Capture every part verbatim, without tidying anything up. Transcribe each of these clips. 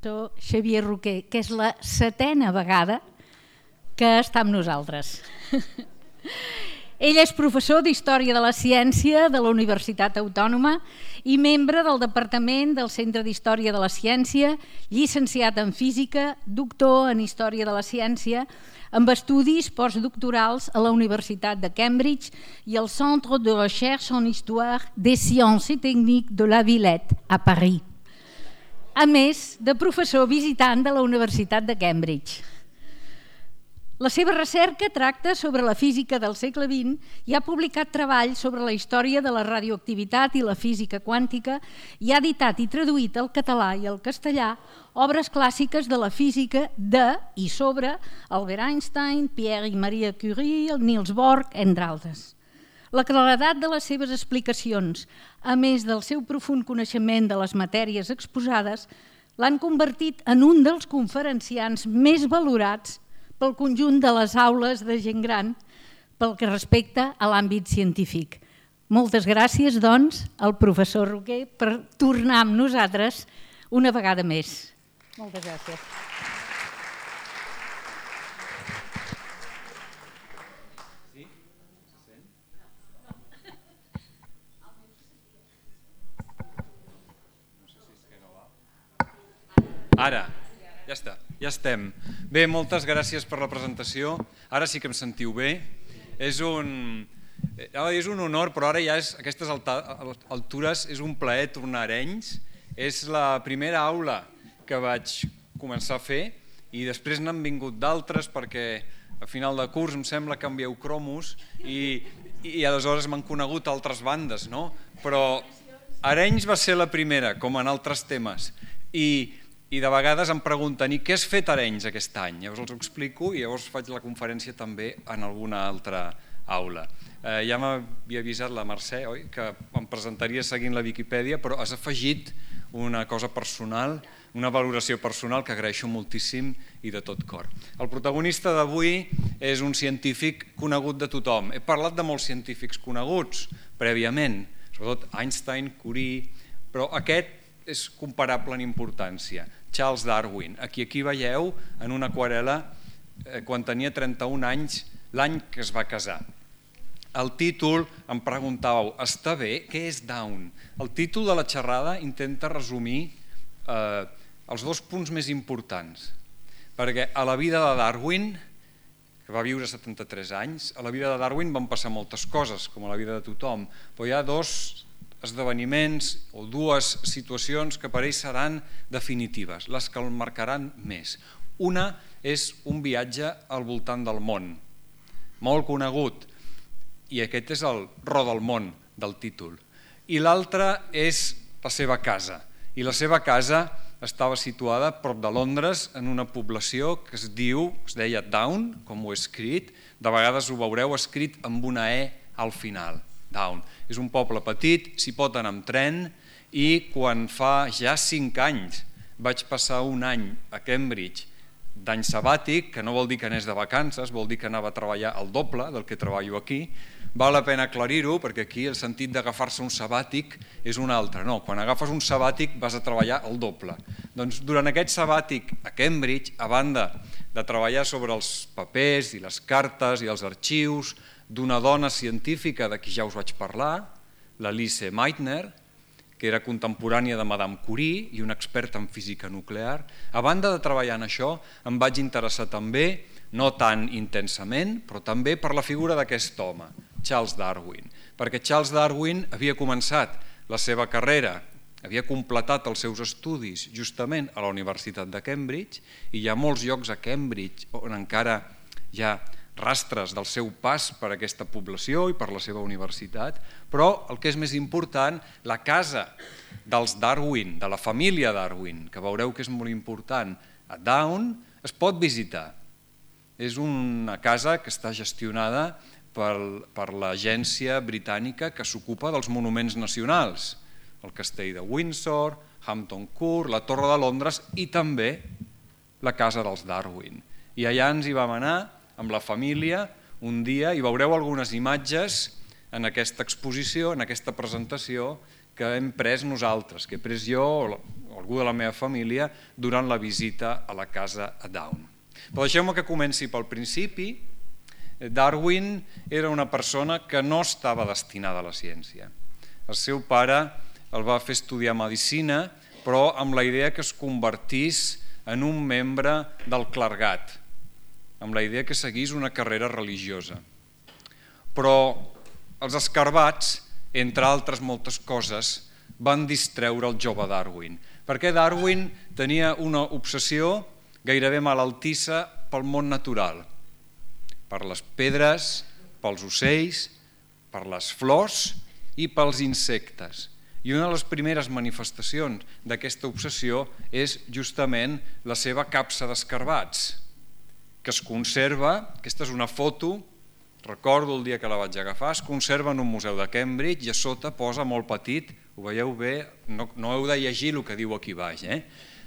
doctor Xavier Roquer, que és la setena vegada que està amb nosaltres. Ell és professor d'Història de la Ciència de la Universitat Autònoma i membre del Departament del Centre d'Història de la Ciència, llicenciat en Física, doctor en Història de la Ciència, amb estudis postdoctorals a la Universitat de Cambridge i al Centre de Recherche en Histoire des Sciences et Techniques de la Villette, a París. A més de professor visitant de la Universitat de Cambridge. La seva recerca tracta sobre la física del segle vint i ha publicat treballs sobre la història de la radioactivitat i la física quàntica i ha editat i traduït al català i al castellà obres clàssiques de la física de i sobre Albert Einstein, Pierre i Marie Curie, Niels Bohr, entre altres. La claredat de les seves explicacions, a més del seu profund coneixement de les matèries exposades, l'han convertit en un dels conferenciants més valorats pel conjunt de les aules de gent gran pel que respecta a l'àmbit científic. Moltes gràcies, doncs, al professor Roquer per tornar amb nosaltres una vegada més. Moltes gràcies. Ara, ja està, ja estem. Bé, moltes gràcies per la presentació. Ara sí que em sentiu bé. És un, és un honor, però ara ja és, a aquestes altures és un plaer tornar a Arenys. És la primera aula que vaig començar a fer i després n'han vingut d'altres perquè a final de curs em sembla que envieu cromos i, i aleshores m'han conegut altres bandes, no? Però Arenys va ser la primera, com en altres temes. I I de vegades em pregunten, i què has fet a Arenys aquest any? Llavors els ho explico i llavors faig la conferència també en alguna altra aula. Eh, ja m'havia avisat la Mercè, oi, que em presentaria seguint la Viquipèdia, però has afegit una cosa personal, una valoració personal que agraeixo moltíssim i de tot cor. El protagonista d'avui és un científic conegut de tothom. He parlat de molts científics coneguts prèviament, sobretot Einstein, Curie, però aquest és comparable en importància. Charles Darwin, a qui aquí veieu en una aquarel·la quan tenia trenta-un anys, l'any que es va casar. El títol, em preguntàveu, està bé? Què és Down? El títol de la xerrada intenta resumir eh, els dos punts més importants, perquè a la vida de Darwin, que va viure setanta-tres anys, a la vida de Darwin van passar moltes coses, com a la vida de tothom, però hi ha dos esdeveniments o dues situacions que per ell seran definitives, les que el marcaran més. Una és un viatge al voltant del món, molt conegut, i aquest és el ro del món del títol. I l'altra és la seva casa, i la seva casa estava situada prop de Londres en una població que es diu, es deia Down, com ho he escrit, de vegades ho veureu escrit amb una E al final. Down. És un poble petit, s'hi pot anar amb tren i quan fa ja cinc anys vaig passar un any a Cambridge d'any sabàtic, que no vol dir que anés de vacances, vol dir que anava a treballar el doble del que treballo aquí. Val la pena aclarir-ho perquè aquí el sentit d'agafar-se un sabàtic és un altre. No, quan agafes un sabàtic vas a treballar el doble. Doncs durant aquest sabàtic a Cambridge, a banda de treballar sobre els papers i les cartes i els arxius d'una dona científica de qui ja us vaig parlar, la Lise Meitner, que era contemporània de Madame Curie i una experta en física nuclear. A banda de treballar en això, em vaig interessar també, no tan intensament, però també per la figura d'aquest home, Charles Darwin, perquè Charles Darwin havia començat la seva carrera, havia completat els seus estudis justament a la Universitat de Cambridge i hi ha molts llocs a Cambridge on encara hi ha rastres del seu pas per aquesta població i per la seva universitat, però el que és més important, la casa dels Darwin, de la família Darwin, que veureu que és molt important, a Down, es pot visitar. És una casa que està gestionada per l'agència britànica que s'ocupa dels monuments nacionals, el castell de Windsor, Hampton Court, la Torre de Londres i també la casa dels Darwin. I allà ens hi vam anar amb la família un dia i veureu algunes imatges en aquesta exposició, en aquesta presentació que hem pres nosaltres, que he pres jo o algú de la meva família durant la visita a la casa a Down. Però deixeu-me que comenci pel principi. Darwin era una persona que no estava destinada a la ciència. El seu pare el va fer estudiar medicina, però amb la idea que es convertís en un membre del clergat, amb la idea que seguís una carrera religiosa. Però els escarbats, entre altres moltes coses, van distreure el jove Darwin, perquè Darwin tenia una obsessió gairebé malaltissa pel món natural, per les pedres, pels ocells, per les flors i pels insectes. I una de les primeres manifestacions d'aquesta obsessió és justament la seva capsa d'escarbats, que es conserva, aquesta és una foto, recordo el dia que la vaig agafar, es conserva en un museu de Cambridge i a sota posa molt petit, ho veieu bé, no, no heu de llegir el que diu aquí baix, eh?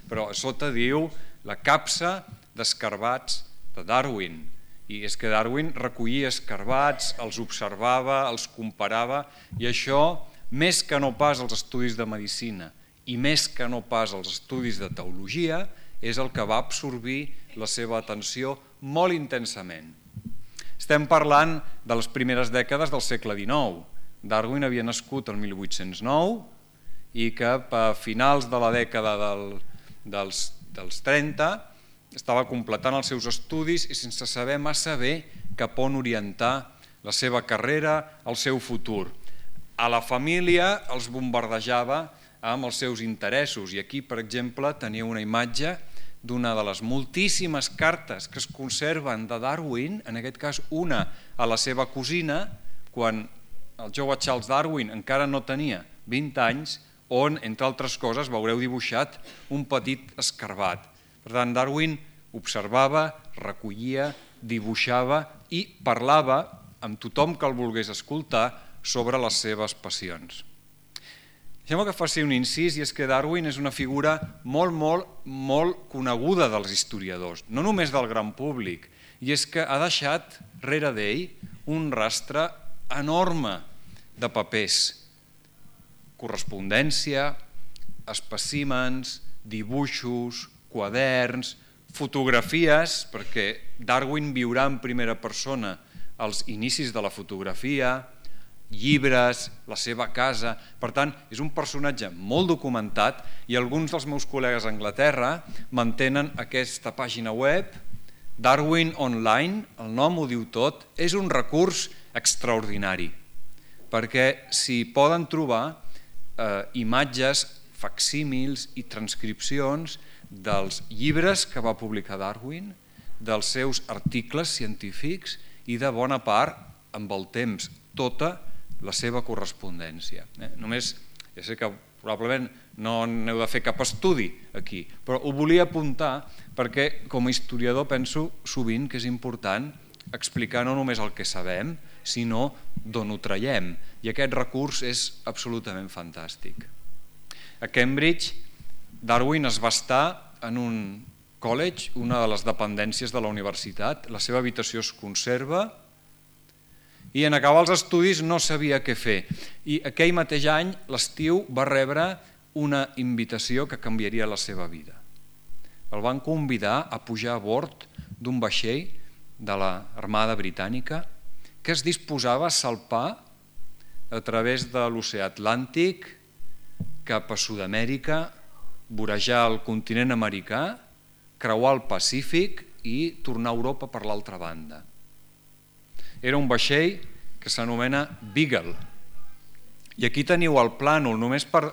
Però a sota diu la capsa d'escarbats de Darwin. I és que Darwin recollia escarbats, els observava, els comparava, i això, més que no pas els estudis de medicina i més que no pas els estudis de teologia, és el que va absorbir la seva atenció molt intensament. Estem parlant de les primeres dècades del segle dinou. Darwin havia nascut el mil vuit-cents nou i que a finals de la dècada del, dels, dels trenta estava completant els seus estudis i sense saber massa bé cap on orientar la seva carrera, el seu futur. A la família els bombardejava amb els seus interessos i aquí, per exemple, tenia una imatge d'una de les moltíssimes cartes que es conserven de Darwin, en aquest cas una a la seva cosina, quan el jove Charles Darwin encara no tenia vint anys, on, entre altres coses, veureu dibuixat un petit escarbat. Per tant, Darwin observava, recollia, dibuixava i parlava amb tothom que el volgués escoltar sobre les seves passions. Deixeu-me que faci un incís, i és que Darwin és una figura molt, molt, molt coneguda dels historiadors, no només del gran públic, i és que ha deixat rere d'ell un rastre enorme de papers, correspondència, espècimens, dibuixos, quaderns, fotografies, perquè Darwin viurà en primera persona els inicis de la fotografia, llibres, la seva casa. Per tant, és un personatge molt documentat i alguns dels meus col·legues a Anglaterra mantenen aquesta pàgina web, Darwin Online, el nom ho diu tot, és un recurs extraordinari, perquè s'hi poden trobar eh, imatges, facsímils i transcripcions dels llibres que va publicar Darwin, dels seus articles científics i de bona part, amb el temps, tota la seva correspondència. Eh? Només, ja sé que probablement no n'heu de fer cap estudi aquí, però ho volia apuntar perquè com a historiador penso sovint que és important explicar no només el que sabem, sinó d'on ho traiem, i aquest recurs és absolutament fantàstic. A Cambridge, Darwin es va estar en un college, una de les dependències de la universitat, la seva habitació es conserva, i en acabar els estudis no sabia què fer. I aquell mateix any, l'estiu, va rebre una invitació que canviaria la seva vida. El van convidar a pujar a bord d'un vaixell de l'Armada Britànica que es disposava a salpar a través de l'oceà Atlàntic cap a Sud-amèrica, vorejar el continent americà, creuar el Pacífic i tornar a Europa per l'altra banda. Era un vaixell que s'anomena Beagle. I aquí teniu el plànol, només per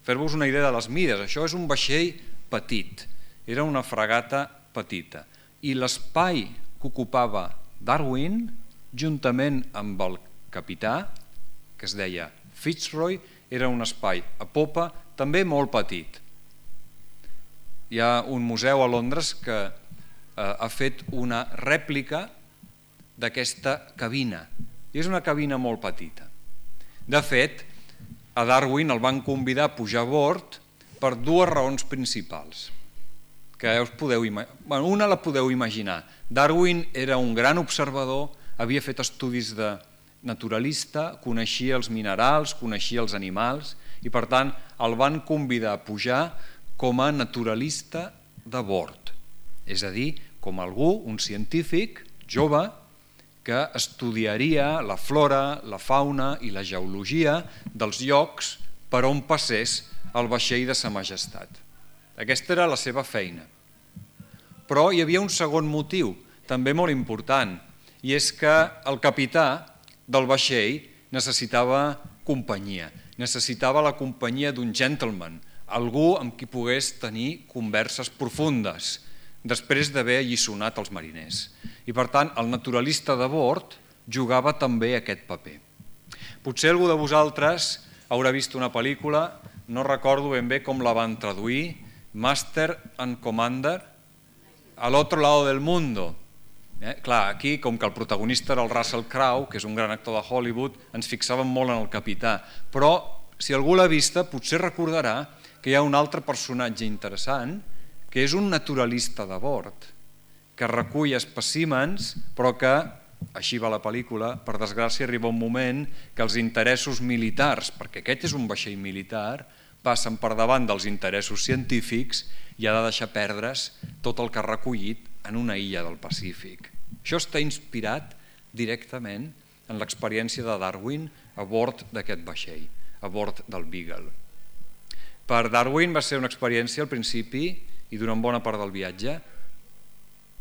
fer-vos una idea de les mides. Això és un vaixell petit, era una fragata petita. I l'espai que ocupava Darwin, juntament amb el capità, que es deia Fitzroy, era un espai a popa també molt petit. Hi ha un museu a Londres que eh, ha fet una rèplica d'aquesta cabina, i és una cabina molt petita. De fet, a Darwin el van convidar a pujar a bord per dues raons principals, que us podeu imaginar. Bueno, una la podeu imaginar. Darwin era un gran observador, havia fet estudis de naturalista, coneixia els minerals, coneixia els animals, i per tant el van convidar a pujar com a naturalista de bord, és a dir, com algú, un científic jove, que estudiaria la flora, la fauna i la geologia dels llocs per on passés el vaixell de Sa Majestat. Aquesta era la seva feina. Però hi havia un segon motiu, també molt important, i és que el capità del vaixell necessitava companyia, necessitava la companyia d'un gentleman, algú amb qui pogués tenir converses profundes, després d'haver alliçonat els mariners. I per tant, el naturalista de bord jugava també aquest paper. Potser algú de vosaltres haurà vist una pel·lícula, no recordo ben bé com la van traduir, Master and Commander, al otro lado del mundo. Eh? Clar, aquí, com que el protagonista era el Russell Crowe, que és un gran actor de Hollywood, ens fixàvem molt en el capità. Però, si algú l'ha vista, potser recordarà que hi ha un altre personatge interessant, que és un naturalista de bord, que recull espècimens, però que, així va la pel·lícula, per desgràcia arriba un moment que els interessos militars, perquè aquest és un vaixell militar, passen per davant dels interessos científics i ha de deixar perdre's tot el que ha recollit en una illa del Pacífic. Això està inspirat directament en l'experiència de Darwin a bord d'aquest vaixell, a bord del Beagle. Per Darwin va ser una experiència al principi i durant bona part del viatge.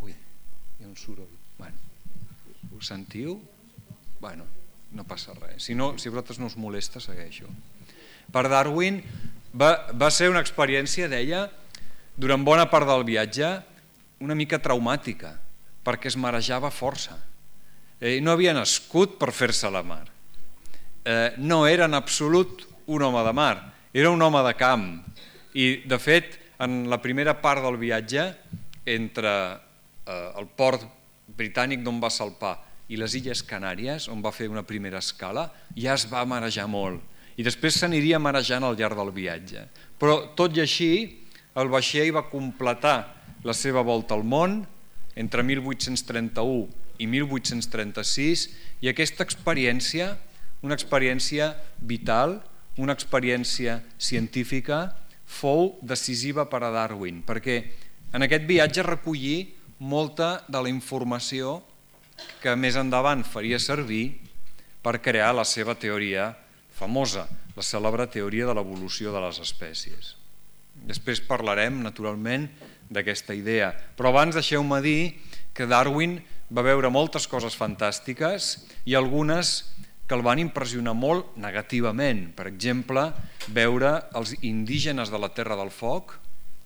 Ui, hi ha un soroll. Bueno, ho sentiu? Bueno, no passa res. Si, no, si a vosaltres no us molesta, segueixo. Per Darwin va, va ser una experiència, deia, durant bona part del viatge, una mica traumàtica, perquè es marejava força. Eh, no havia nascut per fer-se a la mar. Eh, no era en absolut un home de mar, era un home de camp. I, de fet, en la primera part del viatge, entre eh, el port britànic d'on va salpar i les Illes Canàries, on va fer una primera escala, ja es va marejar molt. I després s'aniria marejant al llarg del viatge. Però, tot i així, el vaixell va completar la seva volta al món entre mil vuit-cents trenta-u i mil vuit-cents trenta-sis, i aquesta experiència, una experiència vital, una experiència científica, fou decisiva per a Darwin, perquè en aquest viatge recollí molta de la informació que més endavant faria servir per crear la seva teoria famosa, la cèlebre teoria de l'evolució de les espècies. Després parlarem, naturalment, d'aquesta idea, però abans deixeu-me dir que Darwin va veure moltes coses fantàstiques i algunes que el van impressionar molt negativament. Per exemple, veure els indígenes de la Terra del Foc,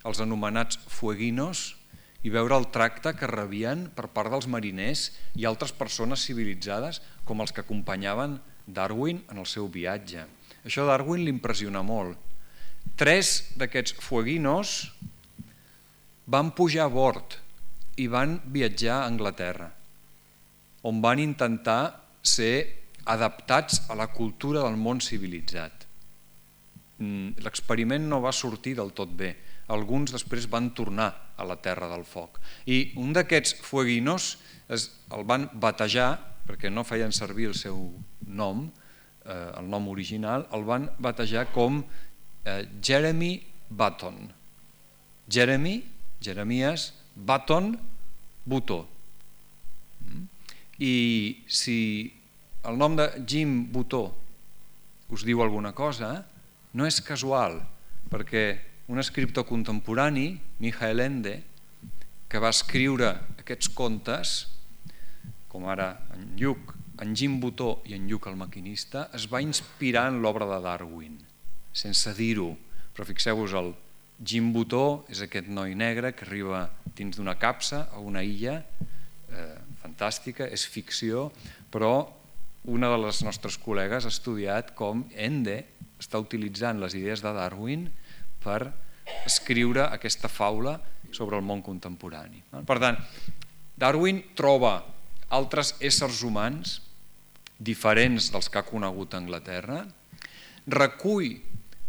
els anomenats fueguinos, i veure el tracte que rebien per part dels mariners i altres persones civilitzades com els que acompanyaven Darwin en el seu viatge. Això a Darwin l'impressiona molt. Tres d'aquests fueguinos van pujar a bord i van viatjar a Anglaterra, on van intentar ser adaptats a la cultura del món civilitzat. L'experiment no va sortir del tot bé. Alguns després van tornar a la Terra del Foc. I un d'aquests fueguinos el van batejar, perquè no feien servir el seu nom, el nom original, el van batejar com Jeremy Button. Jeremy, Jeremies, Button, Butó. I si el nom de Jim Butó us diu alguna cosa, no és casual, perquè un escriptor contemporani, Michael Ende, que va escriure aquests contes, com ara en Lluc, en Jim Butó i en Lluc el maquinista, es va inspirar en l'obra de Darwin, sense dir-ho. Però fixeu-vos, el Jim Butó és aquest noi negre que arriba dins d'una capsa a una illa eh, fantàstica, és ficció, però una de les nostres col·legues ha estudiat com Ende està utilitzant les idees de Darwin per escriure aquesta faula sobre el món contemporani. Per tant, Darwin troba altres éssers humans diferents dels que ha conegut a Anglaterra, recull,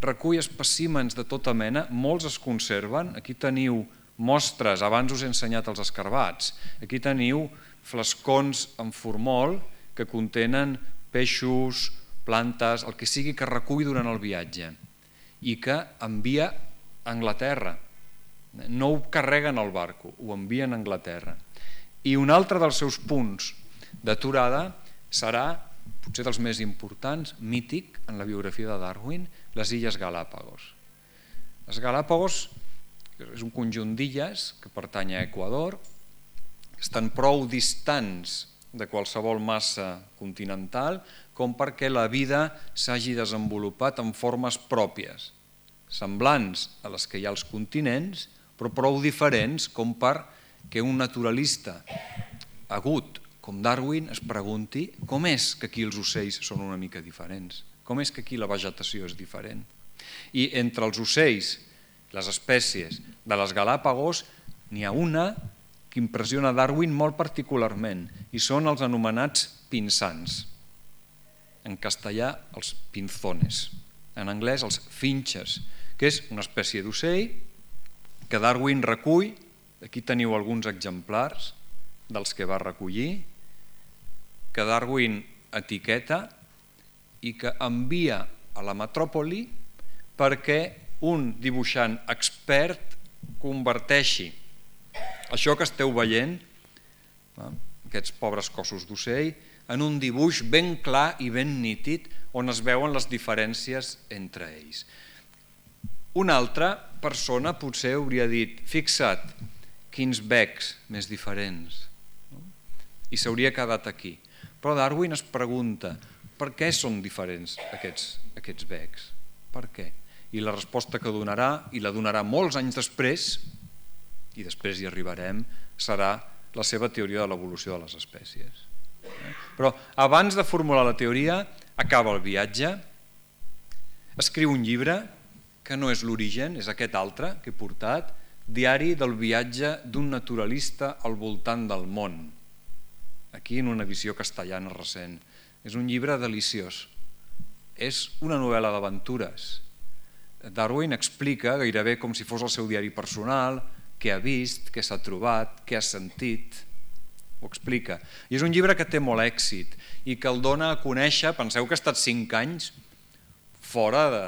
recull espècimens de tota mena, molts es conserven, aquí teniu mostres, abans us he ensenyat els escarbats, aquí teniu flascons en formol que contenen peixos, plantes, el que sigui que recull durant el viatge. i que envia a Anglaterra. No ho carreguen al barco, ho envien a Anglaterra. I un altre dels seus punts d'aturada serà, potser dels més importants, mític en la biografia de Darwin, les Illes Galápagos. Les Galápagos és un conjunt d'illes que pertany a Equador, estan prou distants de qualsevol massa continental com perquè la vida s'hagi desenvolupat en formes pròpies, semblants a les que hi ha als continents, però prou diferents com perquè un naturalista agut com Darwin es pregunti com és que aquí els ocells són una mica diferents, com és que aquí la vegetació és diferent. I entre els ocells, les espècies de les Galápagos, n'hi ha una que impressiona Darwin molt particularment, i són els anomenats pinsans. En castellà, els pinzones. En anglès, els finches, que és una espècie d'ocell que Darwin recull. Aquí teniu alguns exemplars dels que va recollir, que Darwin etiqueta i que envia a la metròpoli perquè un dibuixant expert converteixi això que esteu veient, aquests pobres cossos d'ocell, en un dibuix ben clar i ben nítid on es veuen les diferències entre ells. Una altra persona potser hauria dit, fixa't, quins becs més diferents, i s'hauria quedat aquí. Però Darwin es pregunta, per què són diferents aquests, aquests becs? Per què? I la resposta que donarà, i la donarà molts anys després, i després hi arribarem, serà la seva teoria de l'evolució de les espècies. Però abans de formular la teoria, acaba el viatge, escriu un llibre, que no és l'Origen, és aquest altre que he portat, Diari del viatge d'un naturalista al voltant del món. Aquí en una edició castellana recent. És un llibre deliciós. És una novel·la d'aventures. Darwin explica, gairebé com si fos el seu diari personal, què ha vist, què s'ha trobat, què ha sentit. Ho explica. I és un llibre que té molt èxit i que el dona a conèixer, penseu que ha estat cinc anys fora de,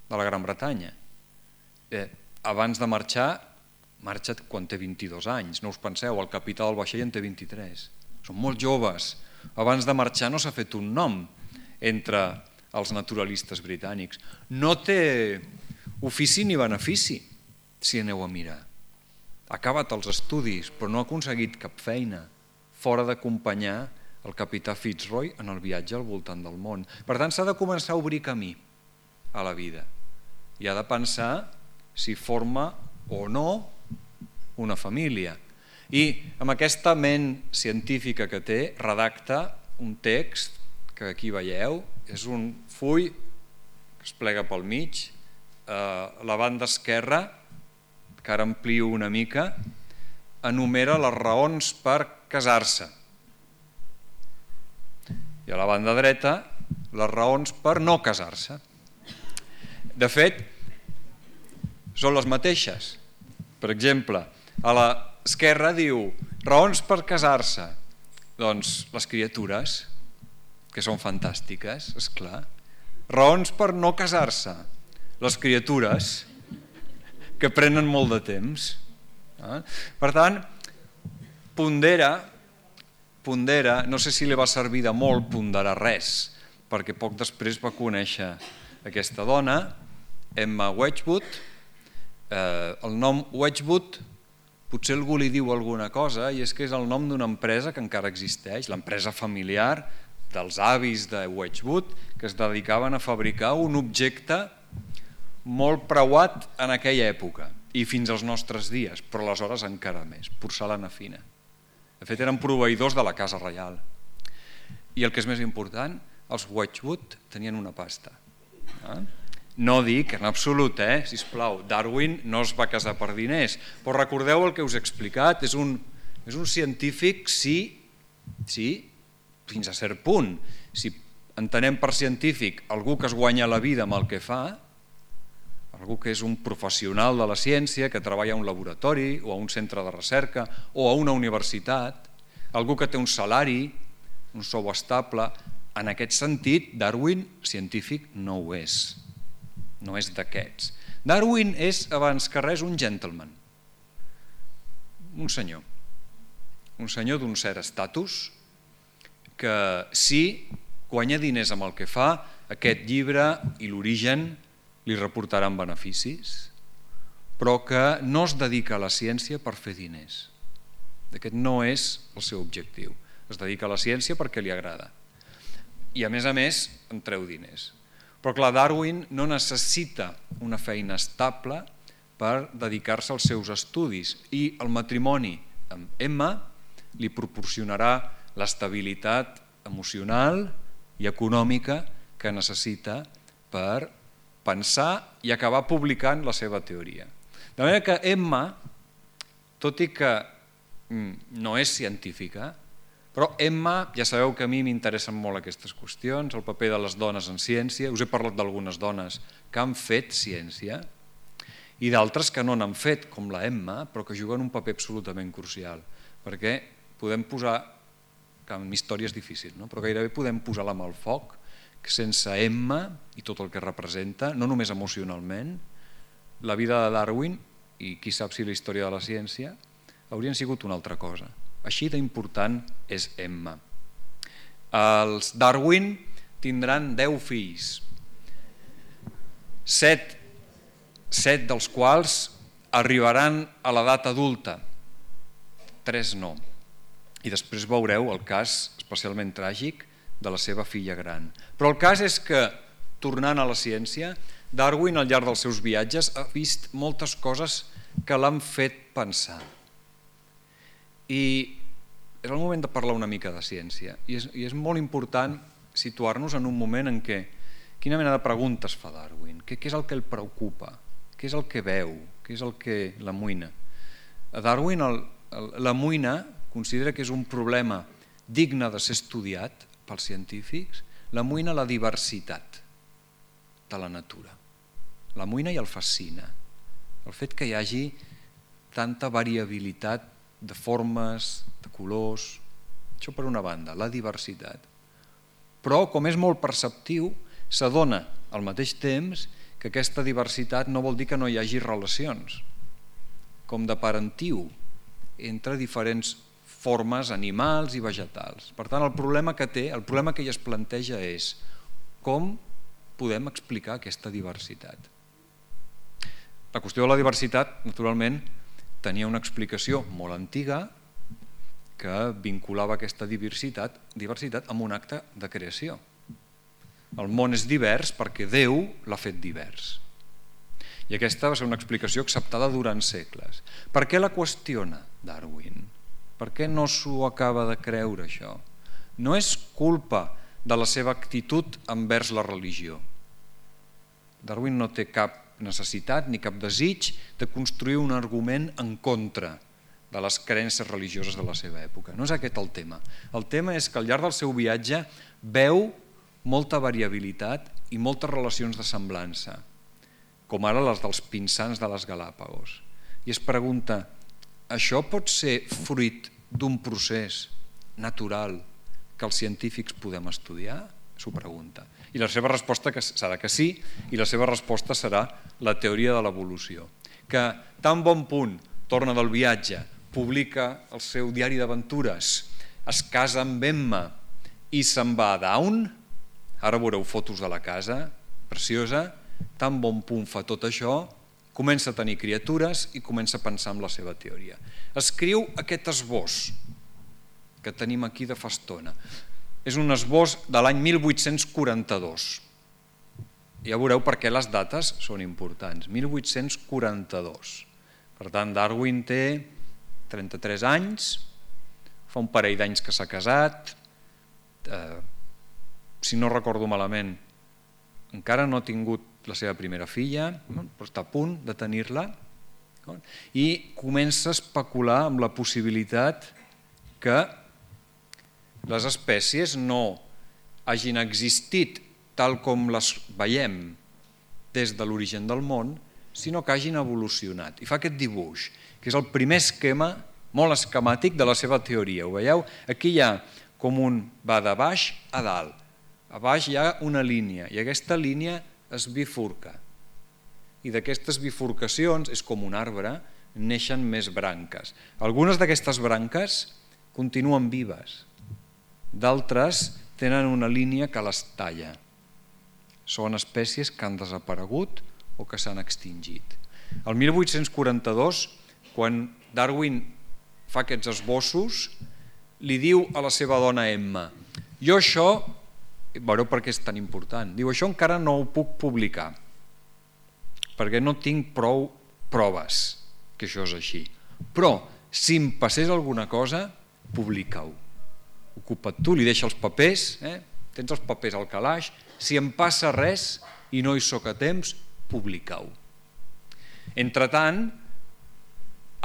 de la Gran Bretanya. Eh, abans de marxar, marxa quan té vint-i-dos anys, no us penseu, el capità del vaixell en té vint-i-tres. Són molt joves. Abans de marxar no s'ha fet un nom entre els naturalistes britànics. No té ofici ni benefici, si aneu a mirar. Ha acabat els estudis, però no ha aconseguit cap feina fora d'acompanyar el capità Fitzroy en el viatge al voltant del món. Per tant, s'ha de començar a obrir camí a la vida i ha de pensar si forma o no una família. I amb aquesta ment científica que té, redacta un text que aquí veieu, és un full que es plega pel mig, la banda esquerra, que ara amplio una mica, enumera les raons per casar-se. I a la banda dreta, les raons per no casar-se. De fet, són les mateixes. Per exemple, a l'esquerra diu raons per casar-se. Doncs les criatures, que són fantàstiques, és clar. Raons per no casar-se. Les criatures, que prenen molt de temps. Per tant, pondera, pondera, no sé si li va servir de molt ponderar res, perquè poc després va conèixer aquesta dona, Emma Wedgwood. El nom Wedgwood potser algú li diu alguna cosa, i és que és el nom d'una empresa que encara existeix, l'empresa familiar dels avis de Wedgwood, que es dedicaven a fabricar un objecte molt preuat en aquella època i fins als nostres dies, però aleshores encara més, porcelana fina. De fet, eren proveïdors de la Casa Reial. I el que és més important, els Wedgwood tenien una pasta. No dic en absolut, eh? Sisplau, Darwin no es va casar per diners, però recordeu el que us he explicat, és un, és un científic, sí, sí, fins a cert punt. Si entenem per científic algú que es guanya la vida amb el que fa, algú que és un professional de la ciència, que treballa a un laboratori o a un centre de recerca o a una universitat, algú que té un salari, un sou estable, en aquest sentit, Darwin científic no ho és. no és d'aquests. Darwin és, abans que res, un gentleman, un senyor, un senyor d'un cert estatus, que si guanya diners amb el que fa, aquest llibre i l'origen li reportaran beneficis, però que no es dedica a la ciència per fer diners. Aquest no és el seu objectiu. Es dedica a la ciència perquè li agrada. I a més a més en treu diners. Però clar, Darwin no necessita una feina estable per dedicar-se als seus estudis i el matrimoni amb Emma li proporcionarà l'estabilitat emocional i econòmica que necessita per pensar i acabar publicant la seva teoria. De manera que Emma, tot i que no és científica, però Emma, ja sabeu que a mi m'interessen molt aquestes qüestions, el paper de les dones en ciència, us he parlat d'algunes dones que han fet ciència i d'altres que no n'han fet, com la Emma, però que juguen un paper absolutament crucial, perquè podem posar, que en història és difícil, no? Però gairebé podem posar la mà al foc, que sense Emma i tot el que representa, no només emocionalment, la vida de Darwin, i qui sap si la història de la ciència, haurien sigut una altra cosa. Així d'important és Emma. Els Darwin tindran deu fills, set, set dels quals arribaran a l'edat adulta, tres no. I després veureu el cas especialment tràgic de la seva filla gran. Però el cas és que, tornant a la ciència, Darwin al llarg dels seus viatges ha vist moltes coses que l'han fet pensar. I és el moment de parlar una mica de ciència. I és, i és molt important situar-nos en un moment en què quina mena de preguntes fa Darwin, què, què és el que el preocupa, què és el que veu, què és el que l'amoïna. A Darwin el, el, l'amoïna considera que és un problema digne de ser estudiat pels científics, l'amoïna la diversitat de la natura. L'amoïna i el fascina. El fet que hi hagi tanta variabilitat de formes, de colors, això per una banda, la diversitat. Però, com és molt perceptiu, s'adona al mateix temps que aquesta diversitat no vol dir que no hi hagi relacions, com de parentiu entre diferents formes animals i vegetals. Per tant, el problema que té, el problema que ella es planteja és com podem explicar aquesta diversitat. La qüestió de la diversitat, naturalment, tenia una explicació molt antiga que vinculava aquesta diversitat, diversitat amb un acte de creació. El món és divers perquè Déu l'ha fet divers. I aquesta va ser una explicació acceptada durant segles. Per què la qüestiona Darwin? Per què no s'ho acaba de creure, això? No és culpa de la seva actitud envers la religió. Darwin no té cap necessitat ni cap desig de construir un argument en contra de les creences religioses de la seva època. No és aquest el tema. El tema és que al llarg del seu viatge veu molta variabilitat i moltes relacions de semblança, com ara les dels pinsans de les Galàpagos. I es pregunta, això pot ser fruit d'un procés natural que els científics podem estudiar? S'ho pregunta. I la seva resposta serà que sí, i la seva resposta serà la teoria de l'evolució. Que tan bon punt torna del viatge, publica el seu diari d'aventures, es casa amb Emma i se'n va a Down, ara veureu fotos de la casa, preciosa, tan bon punt fa tot això, comença a tenir criatures i comença a pensar en la seva teoria. Escriu aquest esbós que tenim aquí de fa estona. És un esbós de l'any mil vuit-cents quaranta-dos. Ja veureu per què les dates són importants. mil vuit-cents quaranta-dos. Per tant, Darwin té trenta-tres anys, fa un parell d'anys que s'ha casat, eh, si no recordo malament, encara no ha tingut la seva primera filla, però està a punt de tenir-la, i comença a especular amb la possibilitat que les espècies no hagin existit tal com les veiem des de l'origen del món, sinó que hagin evolucionat. I fa aquest dibuix, que és el primer esquema molt esquemàtic de la seva teoria. Ho veieu? Aquí hi ha com un va de baix a dalt. A baix hi ha una línia i aquesta línia es bifurca i d'aquestes bifurcacions, és com un arbre, neixen més branques. Algunes d'aquestes branques continuen vives, d'altres tenen una línia que les talla. Són espècies que han desaparegut o que s'han extingit. El mil vuit-cents quaranta-dos, quan Darwin fa aquests esbossos, li diu a la seva dona Emma: jo això, veureu per què és tan important, diu, això encara no ho puc publicar, perquè no tinc prou proves que això és així. Però, si em passés alguna cosa, publica-ho. Ocupa't tu, li deixa els papers, eh? Tens els papers al calaix, si em passa res i no hi soc a temps, publica-ho. Entretant,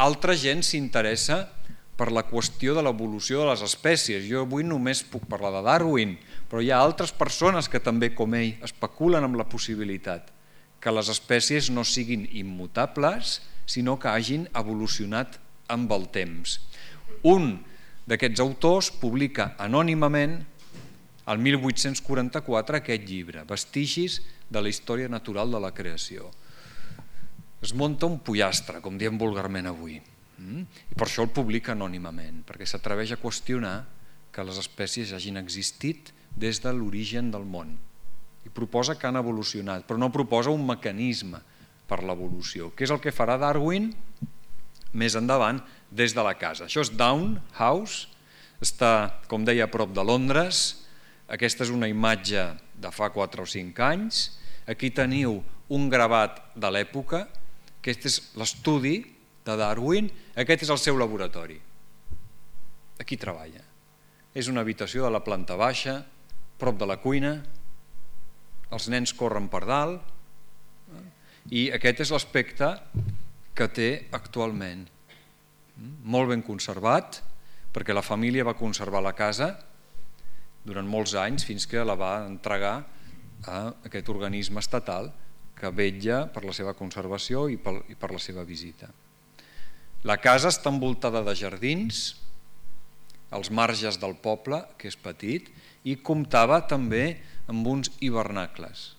altra gent s'interessa per la qüestió de l'evolució de les espècies. Jo avui només puc parlar de Darwin, però hi ha altres persones que també, com ell, especulen amb la possibilitat que les espècies no siguin immutables, sinó que hagin evolucionat amb el temps. Un d'aquests autors publica anònimament el mil vuit-cents quaranta-quatre aquest llibre, Vestigis de la història natural de la creació. Es munta un pollastre, com diem vulgarment avui, i per això el publica anònimament, perquè s'atreveix a qüestionar que les espècies hagin existit des de l'origen del món. I proposa que han evolucionat, però no proposa un mecanisme per l'evolució, que és el que farà Darwin més endavant des de la casa. Això és Down House, està, com deia, a prop de Londres. Aquesta és una imatge de fa quatre o cinc anys. Aquí teniu un gravat de l'època. Aquest és l'estudi de Darwin. Aquest és el seu laboratori. Aquí treballa. És una habitació de la planta baixa, prop de la cuina. Els nens corren per dalt. I aquest és l'aspecte que té actualment. Molt ben conservat, perquè la família va conservar la casa durant molts anys fins que la va entregar a aquest organisme estatal que vetlla per la seva conservació i per la seva visita. La casa està envoltada de jardins, als marges del poble, que és petit, i comptava també amb uns hivernacles,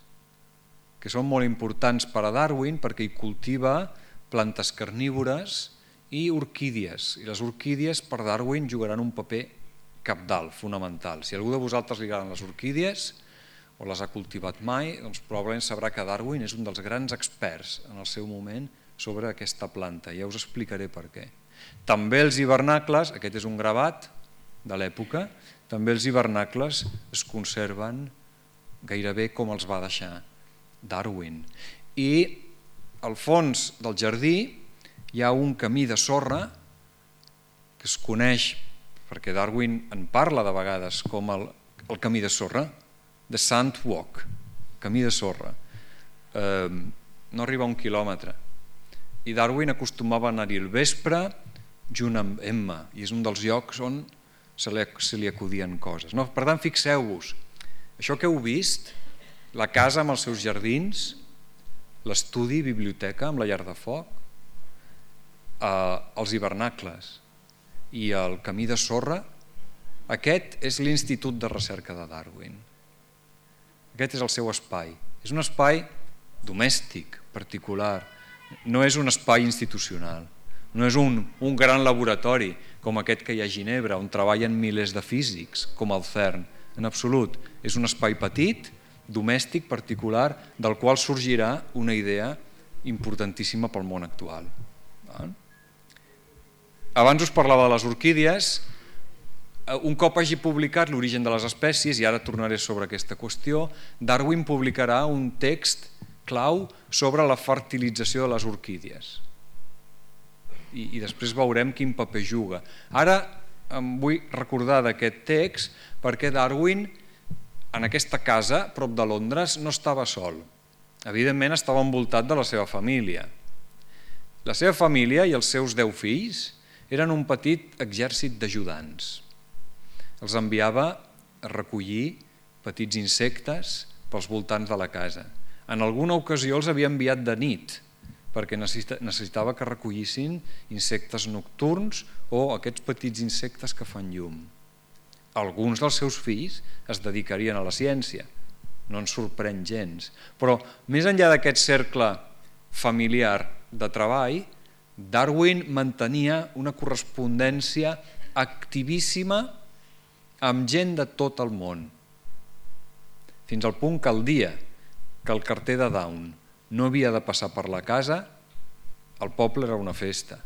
que són molt importants per a Darwin perquè hi cultiva plantes carnívores i orquídies. I les orquídies per Darwin jugaran un paper cabdal, fonamental. Si algú de vosaltres li agraden les orquídies o les ha cultivat mai, doncs probablement sabrà que Darwin és un dels grans experts en el seu moment sobre aquesta planta. Ja us explicaré per què. També els hivernacles, aquest és un gravat de l'època, també els hivernacles es conserven gairebé com els va deixar Darwin. I al fons del jardí hi ha un camí de sorra que es coneix, perquè Darwin en parla de vegades com el, el camí de sorra, the sand walk, camí de sorra. Eh, no arriba a un quilòmetre. I Darwin acostumava a anar-hi al vespre junt amb Emma, i és un dels llocs on se li, se li acudien coses. No? Per tant, fixeu-vos, això que heu vist, la casa amb els seus jardins, l'estudi, biblioteca amb la llar de foc, eh, els hivernacles i el camí de sorra, aquest és l'Institut de Recerca de Darwin. Aquest és el seu espai. És un espai domèstic, particular, no és un espai institucional, no és un, un gran laboratori com aquest que hi ha a Ginebra, on treballen milers de físics, com el CERN, en absolut. És un espai petit, domèstic, particular, del qual sorgirà una idea importantíssima pel món actual. Abans us parlava de les orquídies. Un cop hagi publicat l'origen de les espècies, i ara tornaré sobre aquesta qüestió, Darwin publicarà un text clau sobre la fertilització de les orquídies. I, i després veurem quin paper juga. Ara em vull recordar d'aquest text perquè Darwin, en aquesta casa, prop de Londres, no estava sol. Evidentment estava envoltat de la seva família. La seva família i els seus deu fills eren un petit exèrcit d'ajudants. Els enviava a recollir petits insectes pels voltants de la casa. En alguna ocasió els havia enviat de nit, perquè necessitava que recollissin insectes nocturns o aquests petits insectes que fan llum. Alguns dels seus fills es dedicarien a la ciència, no ens sorprèn gens. Però més enllà d'aquest cercle familiar de treball, Darwin mantenia una correspondència activíssima amb gent de tot el món, fins al punt que el dia que el carter de Down no havia de passar per la casa, el poble era una festa.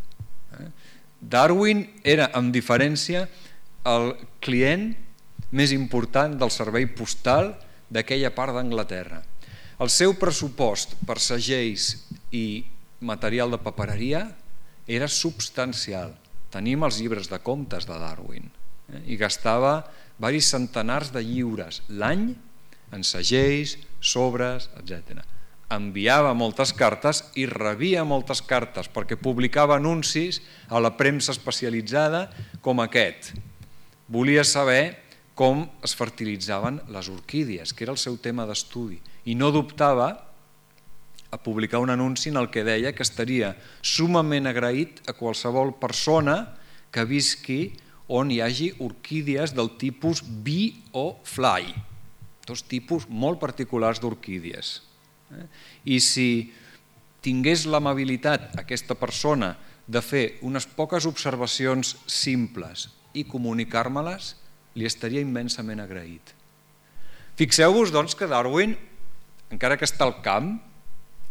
Darwin era, amb diferència, el client més important del servei postal d'aquella part d'Anglaterra. El seu pressupost per segells i material de papereria era substancial. Tenim els llibres de comptes de Darwin i gastava diversos centenars de lliures l'any en segells, sobres, etcètera. Enviava moltes cartes i rebia moltes cartes perquè publicava anuncis a la premsa especialitzada com aquest. Volia saber com es fertilitzaven les orquídies, que era el seu tema d'estudi, i no dubtava a publicar un anunci en el que deia que estaria sumament agraït a qualsevol persona que visqui on hi hagi orquídies del tipus bee o fly, dos tipus molt particulars d'orquídies. I si tingués l'amabilitat aquesta persona de fer unes poques observacions simples i comunicar-me-les, li estaria immensament agraït. Fixeu-vos, doncs, que Darwin, encara que està al camp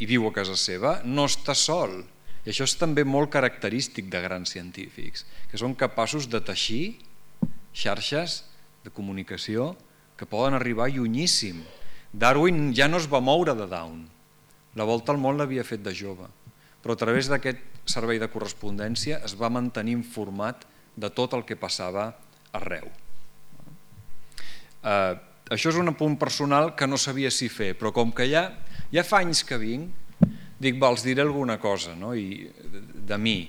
i viu a casa seva, no està sol. I això és també molt característic de grans científics, que són capaços de teixir xarxes de comunicació que poden arribar llunyíssim. Darwin ja no es va moure de Down, la volta al món l'havia fet de jove, però a través d'aquest servei de correspondència es va mantenir informat de tot el que passava arreu. Uh, això és un apunt personal que no sabia si fer, però com que ja, ja fa anys que vinc, dic, va, els diré alguna cosa, no? I, de, de mi.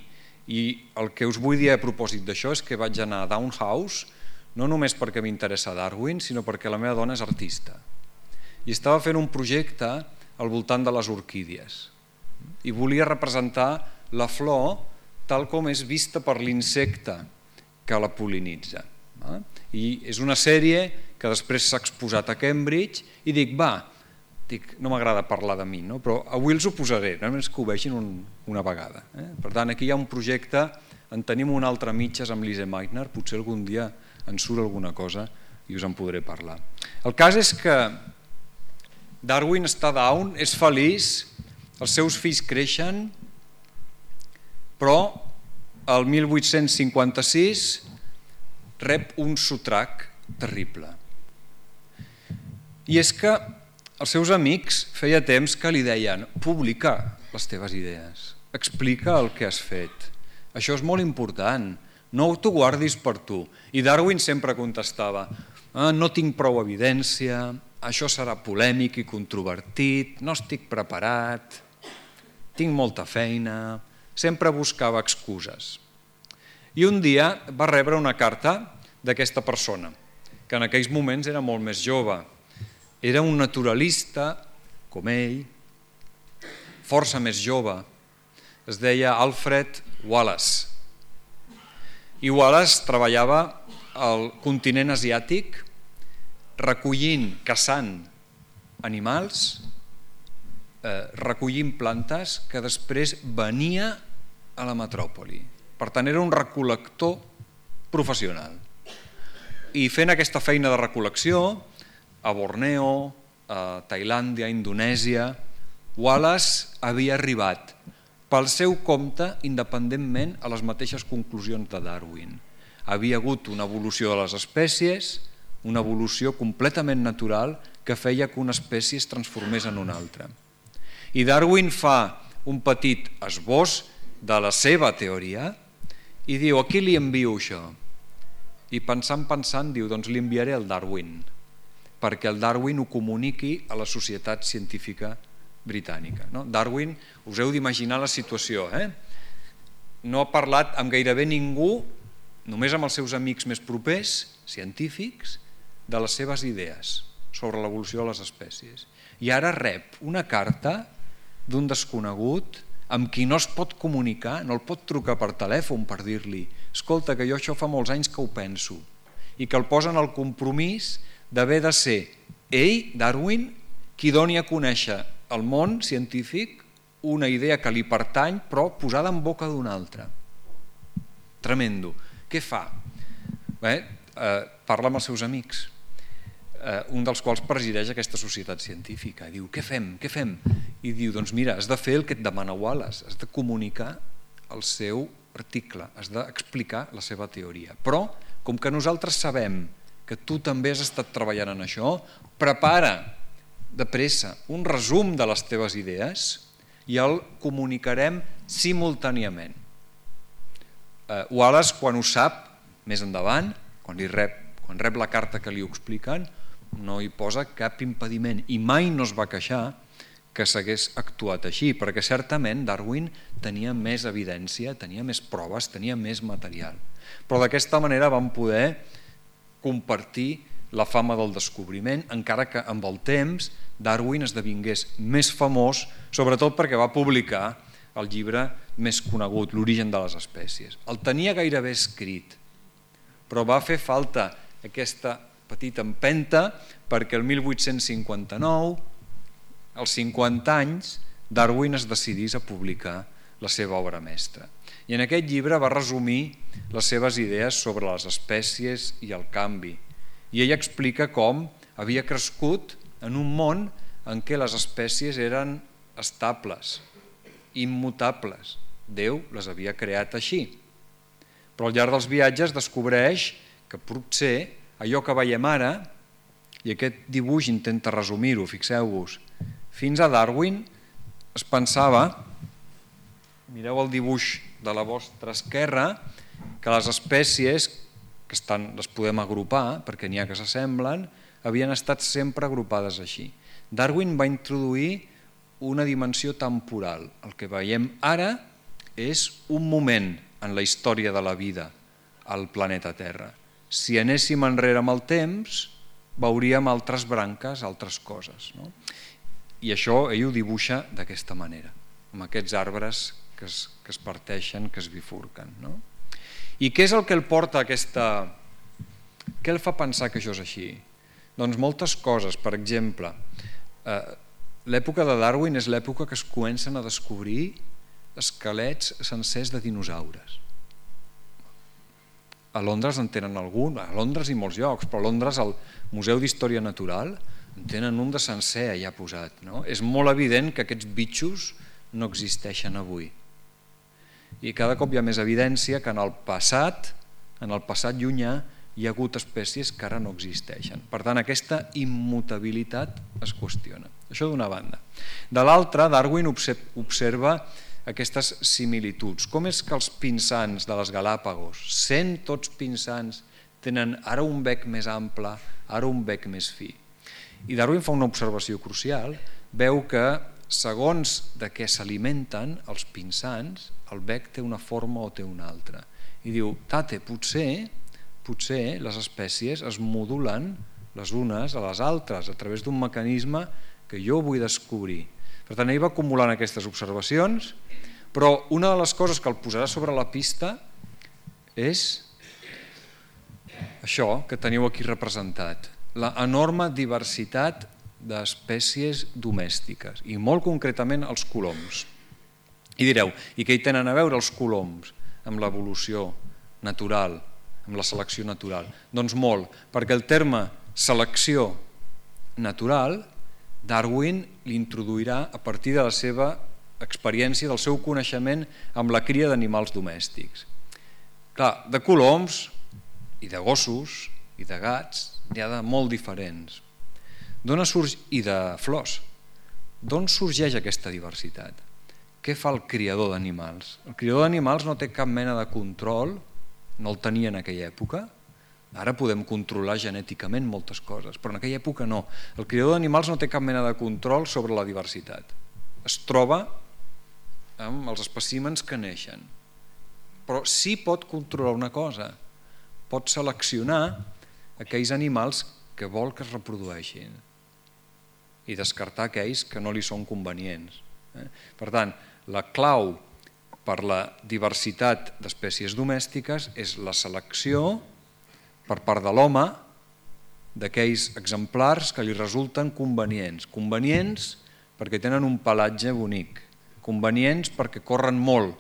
I el que us vull dir a propòsit d'això és que vaig anar a Down House, no només perquè m'interessa Darwin, sinó perquè la meva dona és artista. I estava fent un projecte al voltant de les orquídies. I volia representar la flor tal com és vista per l'insecte que la pol·linitza. I és una sèrie que després s'ha exposat a Cambridge i dic, va, dic, no m'agrada parlar de mi, no? Però avui els ho posaré, només que ho vegin un, una vegada. Eh? Per tant, aquí hi ha un projecte, en tenim un altre a mitges amb Lise Meitner, potser algun dia en surt alguna cosa i us en podré parlar. El cas és que Darwin està down, és feliç, els seus fills creixen, però el mil vuit-cents cinquanta-sis rep un sotrac terrible. I és que els seus amics feia temps que li deien publica les teves idees, explica el que has fet, això és molt important, no t'ho guardis per tu. I Darwin sempre contestava, ah, no tinc prou evidència, això serà polèmic i controvertit, no estic preparat, tinc molta feina, sempre buscava excuses. I un dia va rebre una carta d'aquesta persona, que en aquells moments era molt més jove. Era un naturalista, com ell, força més jove. Es deia Alfred Wallace. I Wallace treballava al continent asiàtic recollint, caçant animals, eh, recollint plantes que després venia a la metròpoli. Per tant, era un recol·lector professional. I fent aquesta feina de recol·lecció, a Borneo, a Tailàndia, a Indonèsia, Wallace havia arribat pel seu compte independentment a les mateixes conclusions de Darwin. Havia hagut una evolució de les espècies, una evolució completament natural que feia que una espècie es transformés en una altra. I Darwin fa un petit esbós de la seva teoria i diu, a qui li envio això? I pensant, pensant, diu, doncs li enviaré al Darwin, perquè el Darwin ho comuniqui a la societat científica britànica. No? Darwin, us heu d'imaginar la situació, eh? No ha parlat amb gairebé ningú, només amb els seus amics més propers, científics, de les seves idees sobre l'evolució de les espècies. I ara rep una carta d'un desconegut amb qui no es pot comunicar, no el pot trucar per telèfon per dir-li escolta, que jo això fa molts anys que ho penso, i que el posen al compromís d'haver de ser ell, Darwin, qui doni a conèixer el món científic una idea que li pertany però posada en boca d'un altre. Tremendo. Què fa? Bé, eh, parla amb els seus amics, eh, un dels quals presideix aquesta societat científica. Diu, què fem? Què fem? I diu, doncs mira, has de fer el que et demana Wallace, has de comunicar el seu article, has d'explicar la seva teoria. Però, com que nosaltres sabem que tu també has estat treballant en això, prepara de pressa un resum de les teves idees i el comunicarem simultàniament. Eh, Wallace, quan ho sap, més endavant, quan, li rep, quan rep la carta que li ho expliquen, no hi posa cap impediment i mai no es va queixar que s'hagués actuat així, perquè certament Darwin tenia més evidència, tenia més proves, tenia més material. Però d'aquesta manera vam poder compartir la fama del descobriment, encara que amb el temps Darwin esdevingués més famós, sobretot perquè va publicar el llibre més conegut, L'origen de les espècies. El tenia gairebé escrit, però va fer falta aquesta petita empenta perquè el mil vuit-cents cinquanta-nou, als cinquanta anys, Darwin es decidís a publicar la seva obra mestra. I en aquest llibre va resumir les seves idees sobre les espècies i el canvi. I ell explica com havia crescut en un món en què les espècies eren estables, immutables. Déu les havia creat així. Però al llarg dels viatges descobreix que potser allò que veiem ara, i aquest dibuix intenta resumir-ho, fixeu-vos, fins a Darwin es pensava, mireu el dibuix de la vostra esquerra, que les espècies, que estan, les podem agrupar, perquè n'hi ha que s'assemblen, havien estat sempre agrupades així. Darwin va introduir una dimensió temporal. El que veiem ara és un moment en la història de la vida al planeta Terra. Si anéssim enrere amb el temps, veuríem altres branques, altres coses. No? I això ell ho dibuixa d'aquesta manera, amb aquests arbres que es, que es parteixen, que es bifurquen. No? I què és el que el porta a aquesta... Què el fa pensar que això és així? Doncs moltes coses. Per exemple, eh, l'època de Darwin és l'època que es comencen a descobrir esquelets sencers de dinosaures. A Londres en tenen algun, a Londres i molts llocs, però a Londres al Museu d'Història Natural en tenen un de sencer allà posat. No? És molt evident que aquests bitxos no existeixen avui. I cada cop hi ha més evidència que en el passat, en el passat llunyà, hi ha hagut espècies que ara no existeixen. Per tant, aquesta immutabilitat es qüestiona. Això d'una banda. De l'altra, Darwin observa aquestes similituds. Com és que els pinsans de les Galàpagos, sent tots pinsans, tenen ara un bec més ample, ara un bec més fi? I Darwin fa una observació crucial, veu que segons de què s'alimenten els pinsans, el bec té una forma o té una altra. I diu, tate, potser, potser les espècies es modulen les unes a les altres a través d'un mecanisme que jo vull descobrir. Per tant, ell va acumulant aquestes observacions, però una de les coses que el posarà sobre la pista és això que teniu aquí representat, la enorme diversitat d'espècies domèstiques, i molt concretament els coloms. I direu, i què hi tenen a veure els coloms amb l'evolució natural, amb la selecció natural? Doncs molt, perquè el terme selecció natural Darwin l'introduirà a partir de la seva experiència, del seu coneixement amb la cria d'animals domèstics. Clar, de coloms i de gossos i de gats n'hi ha de molt diferents. I de flors. D'on sorgeix aquesta diversitat? Què fa el criador d'animals? El criador d'animals no té cap mena de control, no el tenia en aquella època. Ara podem controlar genèticament moltes coses, però en aquella època no. El criador d'animals no té cap mena de control sobre la diversitat. Es troba amb els espècimens que neixen. Però sí pot controlar una cosa, pot seleccionar aquells animals que vol que es reprodueixin i descartar aquells que no li són convenients. Per tant, la clau per la diversitat d'espècies domèstiques és la selecció per part de l'home d'aquells exemplars que li resulten convenients. Convenients perquè tenen un pelatge bonic, convenients perquè corren molt,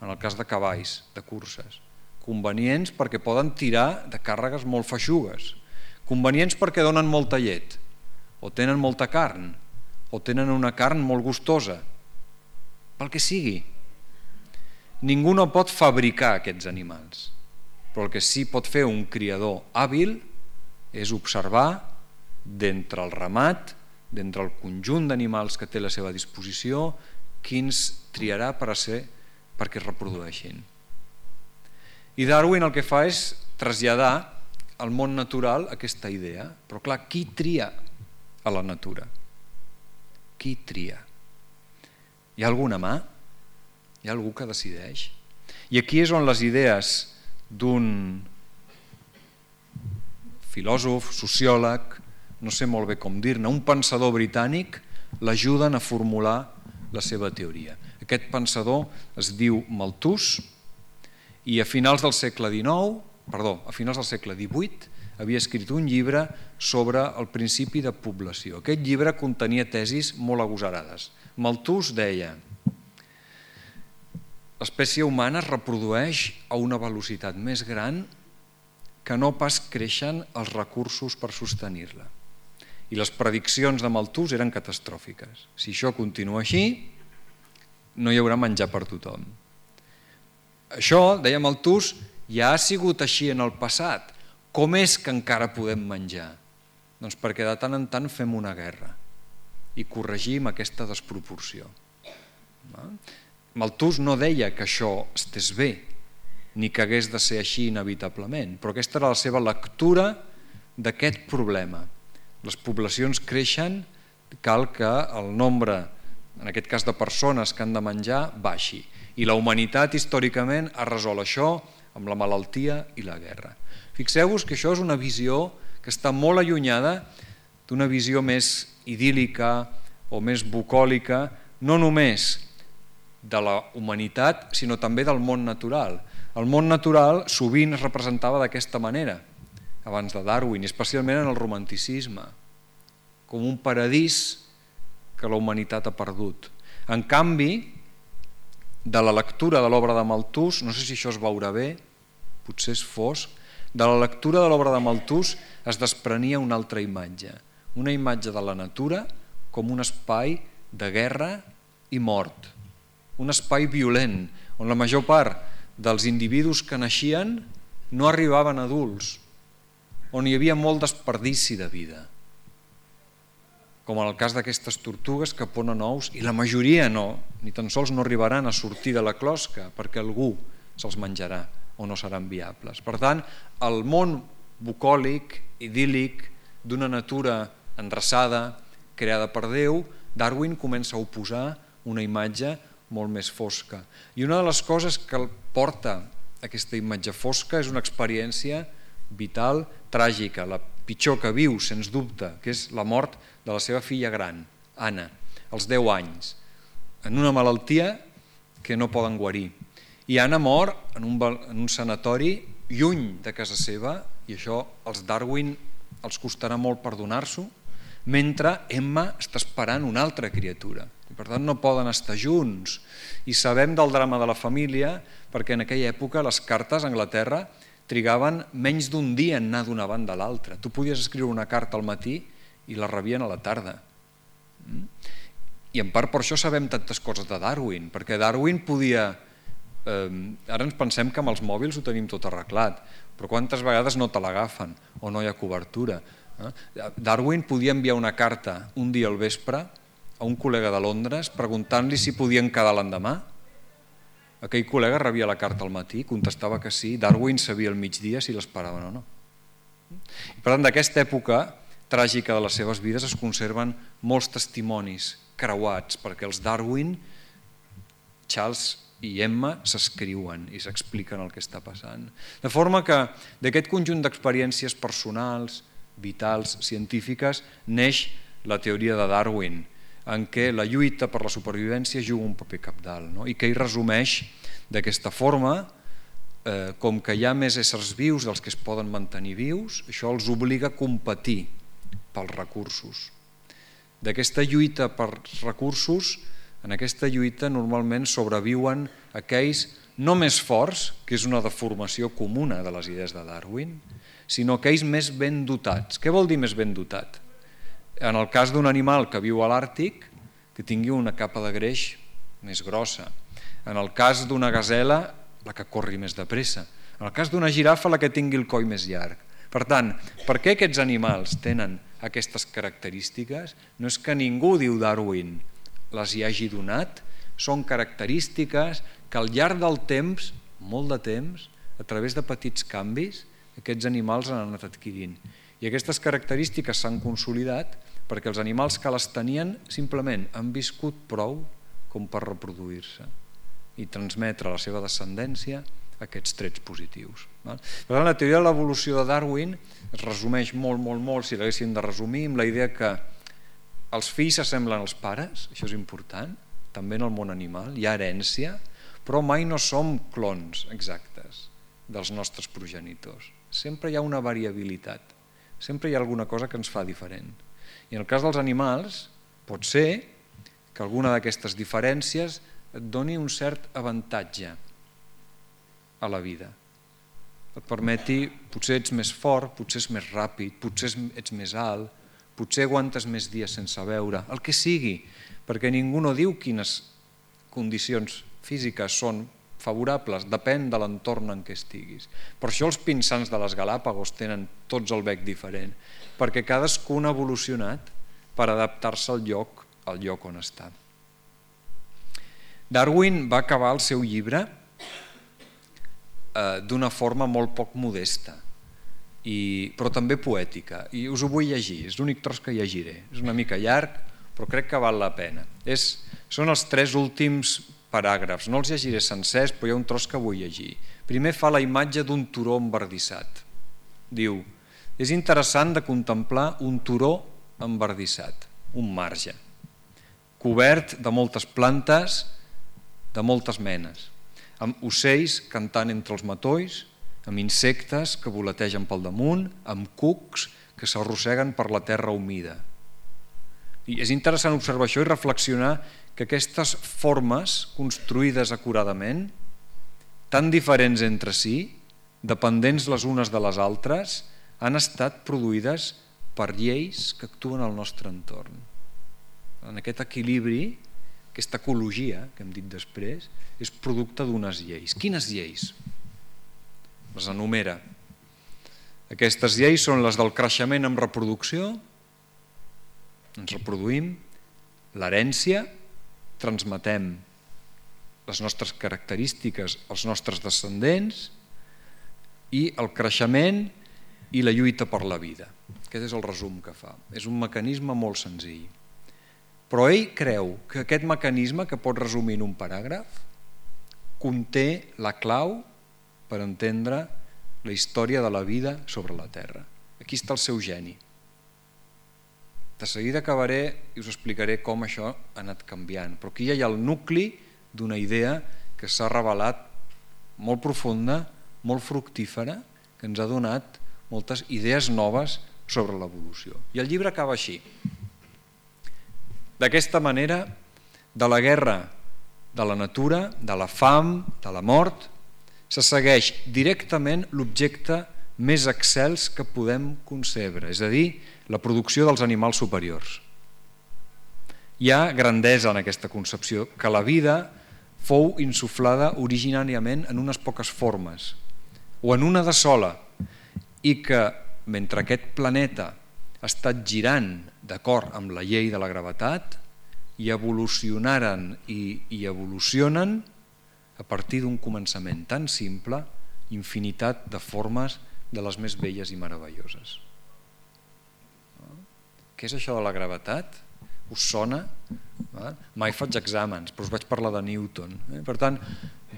en el cas de cavalls, de curses, convenients perquè poden tirar de càrregues molt feixugues, convenients perquè donen molta llet, o tenen molta carn, o tenen una carn molt gustosa, pel que sigui. Ningú no pot fabricar aquests animals, però el que sí pot fer un criador hàbil és observar d'entre el ramat, d'entre el conjunt d'animals que té a la seva disposició, quins triarà per a ser perquè es reprodueixin. I Darwin el que fa és traslladar al món natural aquesta idea. Però clar, qui tria a la natura? Qui tria? Hi ha alguna mà? Hi ha algú que decideix? I aquí és on les idees d'un filòsof, sociòleg, no sé molt bé com dir-ne, un pensador britànic, l'ajuden a formular la seva teoria. Aquest pensador es diu Malthus i a finals del segle dinou, perdó, a finals del segle divuit havia escrit un llibre sobre el principi de població. Aquest llibre contenia tesis molt agosarades. Malthus deia: l'espècie humana es reprodueix a una velocitat més gran que no pas creixen els recursos per sostenir-la. I les prediccions de Malthus eren catastròfiques. Si això continua així, no hi haurà menjar per tothom. Això, deia Malthus, ja ha sigut així en el passat. Com és que encara podem menjar? Doncs perquè de tant en tant fem una guerra i corregim aquesta desproporció. Malthus no deia que això estés bé, ni que hagués de ser així inevitablement, però aquesta era la seva lectura d'aquest problema. Les poblacions creixen, cal que el nombre, en aquest cas de persones que han de menjar, baixi. I la humanitat històricament ha resolt això amb la malaltia i la guerra. Fixeu-vos que això és una visió que està molt allunyada d'una visió més idíl·lica o més bucòlica, no només de la humanitat, sinó també del món natural. El món natural sovint es representava d'aquesta manera, abans de Darwin, especialment en el romanticisme, com un paradís que la humanitat ha perdut. En canvi, de la lectura de l'obra de Malthus, no sé si això es veurà bé, potser és fosc, de la lectura de l'obra de Malthus es desprenia una altra imatge, una imatge de la natura com un espai de guerra i mort, un espai violent, on la major part dels individus que naixien no arribaven adults, on hi havia molt desperdici de vida, com en el cas d'aquestes tortugues que ponen ous i la majoria no, ni tan sols no arribaran a sortir de la closca perquè algú se'ls menjarà o no seran viables. Per tant, el món bucòlic, idíl·lic, d'una natura endreçada, creada per Déu, Darwin comença a oposar una imatge molt més fosca. I una de les coses que el porta aquesta imatge fosca és una experiència vital, tràgica, la pitjor que viu, sens dubte, que és la mort de la seva filla gran, Anna, als deu anys, en una malaltia que no poden guarir. I Anna mor en un, en un sanatori lluny de casa seva, i això als Darwin els costarà molt perdonar-s'ho, mentre Emma està esperant una altra criatura. I per tant no poden estar junts. I sabem del drama de la família perquè en aquella època les cartes a Anglaterra trigaven menys d'un dia en anar d'una banda a l'altra. Tu podies escriure una carta al matí i la rebien a la tarda. I en part per això sabem tantes coses de Darwin, perquè Darwin podia... Eh, ara ens pensem que amb els mòbils ho tenim tot arreglat, però quantes vegades no te l'agafen o no hi ha cobertura. Eh? Darwin podia enviar una carta un dia al vespre a un col·lega de Londres preguntant-li si podien quedar l'endemà. Aquell col·lega rebia la carta al matí, contestava que sí, Darwin sabia al migdia si l'esperaven o no. I per tant, d'aquesta època tràgica de les seves vides es conserven molts testimonis creuats, perquè els Darwin, Charles i Emma s'escriuen i s'expliquen el que està passant. De forma que d'aquest conjunt d'experiències personals, vitals, científiques, neix la teoria de Darwin, en què la lluita per la supervivència juga un paper cabdal, no? I que hi resumeix d'aquesta forma, eh, com que hi ha més éssers vius dels que es poden mantenir vius, això els obliga a competir pels recursos. D'aquesta lluita pels recursos En aquesta lluita normalment sobreviuen aquells no més forts, que és una deformació comuna de les idees de Darwin, sinó aquells més ben dotats. Què vol dir més ben dotat? En el cas d'un animal que viu a l'Àrtic, que tingui una capa de greix més grossa. En el cas d'una gasela, la que corri més de pressa. En el cas d'una girafa, la que tingui el coll més llarg. Per tant, per què aquests animals tenen aquestes característiques? No és que ningú, diu Darwin, les hi hagi donat, són característiques que al llarg del temps, molt de temps, a través de petits canvis, aquests animals han anat adquirint. I aquestes característiques s'han consolidat perquè els animals que les tenien simplement han viscut prou com per reproduir-se i transmetre a la seva descendència aquests trets positius. Per tant, la teoria de l'evolució de Darwin es resumeix molt, molt, molt, si l'haguéssim de resumir, amb la idea que els fills s'assemblen als pares, això és important, també en el món animal, hi ha herència, però mai no som clons exactes dels nostres progenitors. Sempre hi ha una variabilitat, sempre hi ha alguna cosa que ens fa diferent. I en el cas dels animals, pot ser que alguna d'aquestes diferències et doni un cert avantatge a la vida. Et permeti, potser ets més fort, potser ets més ràpid, potser ets més alt, potser aguantes més dies sense beure, el que sigui, perquè ningú no diu quines condicions físiques són favorables, depèn de l'entorn en què estiguis. Per això els pinsans de les Galàpagos tenen tots el bec diferent, perquè cadascun ha evolucionat per adaptar-se al lloc, al lloc on està. Darwin va acabar el seu llibre eh, d'una forma molt poc modesta, i, però també poètica, i us ho vull llegir, és l'únic tros que llegiré, és una mica llarg, però crec que val la pena. És, són els tres últims paràgrafs, no els llegiré sencers, però hi ha un tros que vull llegir. Primer fa la imatge d'un turó embardissat. Diu, és interessant de contemplar un turó embardissat, un marge, cobert de moltes plantes, de moltes menes, amb ocells cantant entre els matolls, amb insectes que voletegen pel damunt, amb cucs que s'arrosseguen per la terra humida. I és interessant observar això i reflexionar que aquestes formes construïdes acuradament, tan diferents entre si, dependents les unes de les altres, han estat produïdes per lleis que actuen al nostre entorn. En aquest equilibri, aquesta ecologia que hem dit després, és producte d'unes lleis. Quines lleis? Les enumera. Aquestes lleis són les del creixement amb reproducció, ens reproduïm, l'herència, transmetem les nostres característiques als nostres descendents, i el creixement i la lluita per la vida. Aquest és el resum que fa. És un mecanisme molt senzill. Però ell creu que aquest mecanisme, que pot resumir en un paràgraf, conté la clau per entendre la història de la vida sobre la Terra. Aquí està el seu geni. De seguida acabaré i us explicaré com això ha anat canviant, però aquí ja hi ha el nucli d'una idea que s'ha revelat molt profunda, molt fructífera, que ens ha donat moltes idees noves sobre l'evolució. I el llibre acaba així. D'aquesta manera, de la guerra, de la natura, de la fam, de la mort, se segueix directament l'objecte més excels que podem concebre, és a dir, la producció dels animals superiors. Hi ha grandesa en aquesta concepció, que la vida fou insuflada originàriament en unes poques formes, o en una de sola, i que mentre aquest planeta ha estat girant d'acord amb la llei de la gravetat, i evolucionaren i, i evolucionen a partir d'un començament tan simple, infinitat de formes de les més belles i meravelloses. Què és això de la gravetat? Us sona? Mai faig exàmens, però us vaig parlar de Newton. Per tant,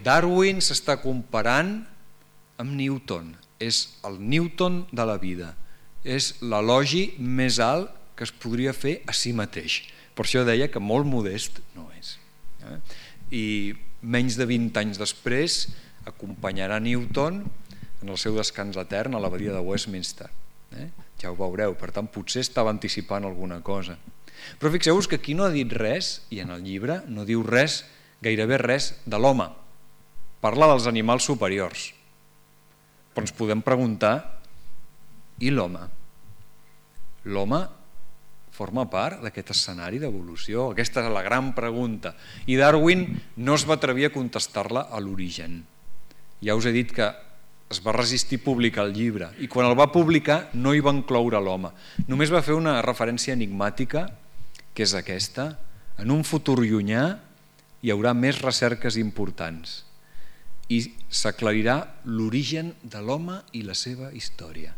Darwin s'està comparant amb Newton. És el Newton de la vida. És l'elogi més alt que es podria fer a si mateix. Per això deia que molt modest no és. I menys de vint anys després acompanyarà Newton en el seu descans etern a l'abadia de Westminster. Ja ho veureu, per tant potser estava anticipant alguna cosa. Però fixeu-vos que aquí no ha dit res, i en el llibre no diu res, gairebé res, de l'home. Parla dels animals superiors. Però ens podem preguntar, i l'home? L'home forma part d'aquest escenari d'evolució? Aquesta és la gran pregunta. I Darwin no es va atrevir a contestar-la a l'origen. Ja us he dit que es va resistir a publicar el llibre i quan el va publicar no hi va incloure l'home. Només va fer una referència enigmàtica, que és aquesta. En un futur llunyà hi haurà més recerques importants i s'aclarirà l'origen de l'home i la seva història.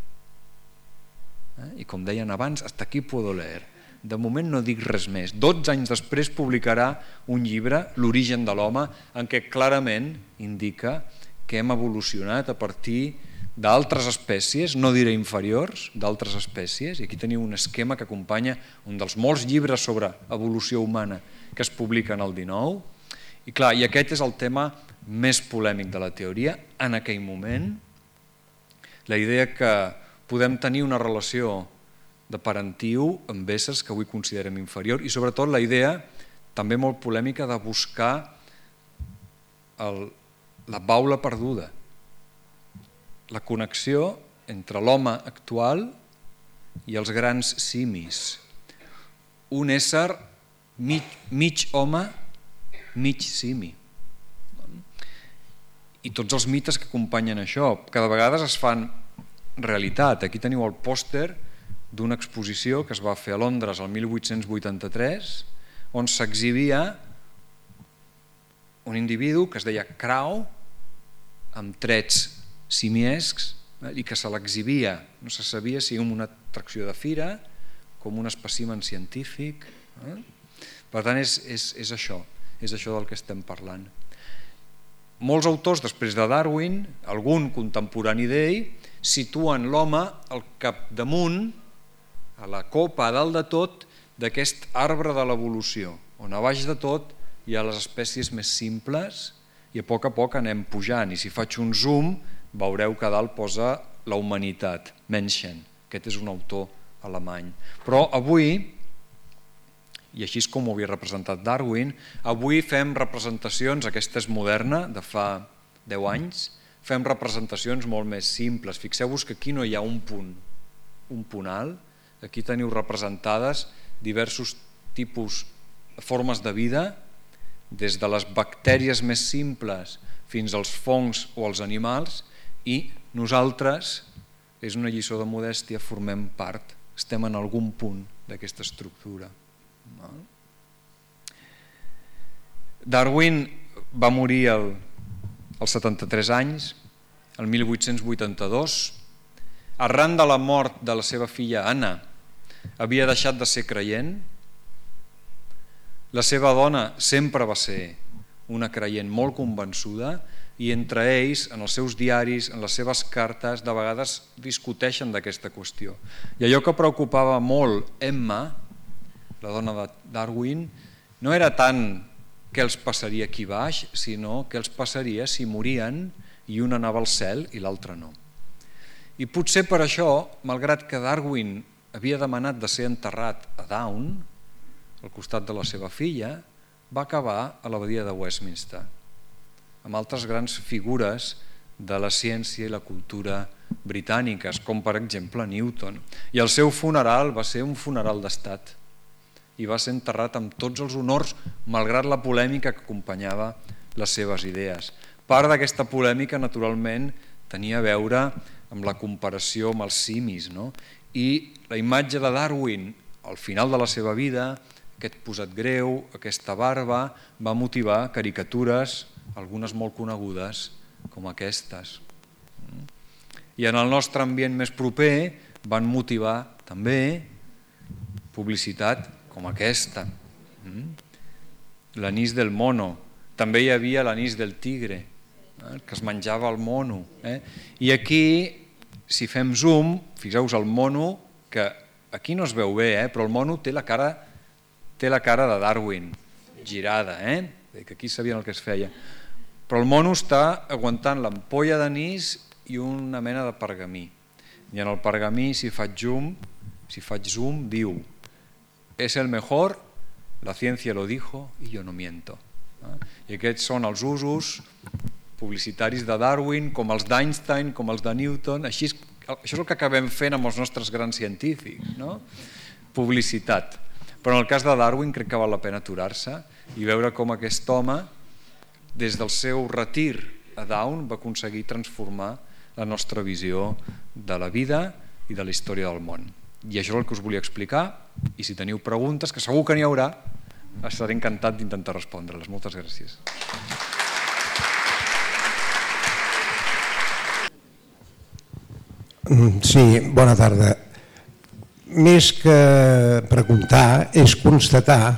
I com deien abans, hasta aquí puedo leer. De moment no dic res més. dotze anys després publicarà un llibre, L'origen de l'home, en què clarament indica que hem evolucionat a partir d'altres espècies, no diré inferiors, d'altres espècies, i aquí teniu un esquema que acompanya un dels molts llibres sobre evolució humana que es publiquen al dinou, i clar, i aquest és el tema més polèmic de la teoria en aquell moment, la idea que podem tenir una relació de parentiu amb éssers que avui considerem inferior i sobretot la idea també molt polèmica de buscar el la baula perduda, la connexió entre l'home actual i els grans simis. Un ésser mig, mig home, mig simi. I tots els mites que acompanyen això, que de vegades es fan realitat. Aquí teniu el pòster d'una exposició que es va fer a Londres el mil vuit-cents vuitanta-tres, on s'exhibia un individu que es deia Crow, amb trets simiescs, i que se l'exhibia, no se sabia si com una atracció de fira, com un espècimen científic. Per tant, és, és, és això, és això del que estem parlant. Molts autors, després de Darwin, algun contemporani d'ell, situen l'home al capdamunt, a la copa, a dalt de tot, d'aquest arbre de l'evolució, on a baix de tot hi ha les espècies més simples i a poc a poc anem pujant. I si faig un zoom, veureu que a dalt posa la humanitat, Menschen. Aquest és un autor alemany. Però avui, i així és com ho havia representat Darwin, avui fem representacions, aquesta és moderna, de fa deu anys, fem representacions molt més simples. Fixeu-vos que aquí no hi ha un punt, un punt alt, aquí teniu representades diversos tipus de formes de vida, des de les bactèries més simples fins als fongs o als animals, i nosaltres, és una lliçó de modèstia, formem part, estem en algun punt d'aquesta estructura. Darwin va morir als setanta-tres anys, el mil vuit-cents vuitanta-dos, arran de la mort de la seva filla Anna, havia deixat de ser creient. La seva dona sempre va ser una creient molt convençuda i entre ells, en els seus diaris, en les seves cartes, de vegades discuteixen d'aquesta qüestió. I allò que preocupava molt Emma, la dona de Darwin, no era tant què els passaria aquí baix, sinó què els passaria si morien i un anava al cel i l'altre no. I potser per això, malgrat que Darwin havia demanat de ser enterrat a Down, al costat de la seva filla, va acabar a l'abadia de Westminster, amb altres grans figures de la ciència i la cultura britàniques, com per exemple Newton. I el seu funeral va ser un funeral d'estat i va ser enterrat amb tots els honors, malgrat la polèmica que acompanyava les seves idees. Part d'aquesta polèmica, naturalment, tenia a veure amb la comparació amb els simis, no? I la imatge de Darwin al final de la seva vida, aquest posat greu, aquesta barba, va motivar caricatures, algunes molt conegudes, com aquestes. I en el nostre ambient més proper van motivar també publicitat com aquesta. L'anís del mono. També hi havia l'anís del tigre, que es menjava el mono. I aquí, si fem zoom, fixeu-vos el mono, que aquí no es veu bé, però el mono té la cara té la cara de Darwin, girada, eh? que aquí sabien el que es feia. Però el mono està aguantant l'ampolla d'anís i una mena de pergamí. I en el pergamí, si faig zoom, si faig zoom, diu és el mejor, la ciència lo dijo y yo no miento. I aquests són els usos publicitaris de Darwin, com els d'Einstein, com els de Newton. Així, això és el que acabem fent amb els nostres grans científics, no? Publicitat. Però en el cas de Darwin crec que val la pena aturar-se i veure com aquest home, des del seu retir a Down, va aconseguir transformar la nostra visió de la vida i de la història del món. I això és el que us volia explicar, i si teniu preguntes, que segur que n'hi haurà, estaré encantat d'intentar respondre-les. Moltes gràcies. Sí, bona tarda. Més que preguntar, és constatar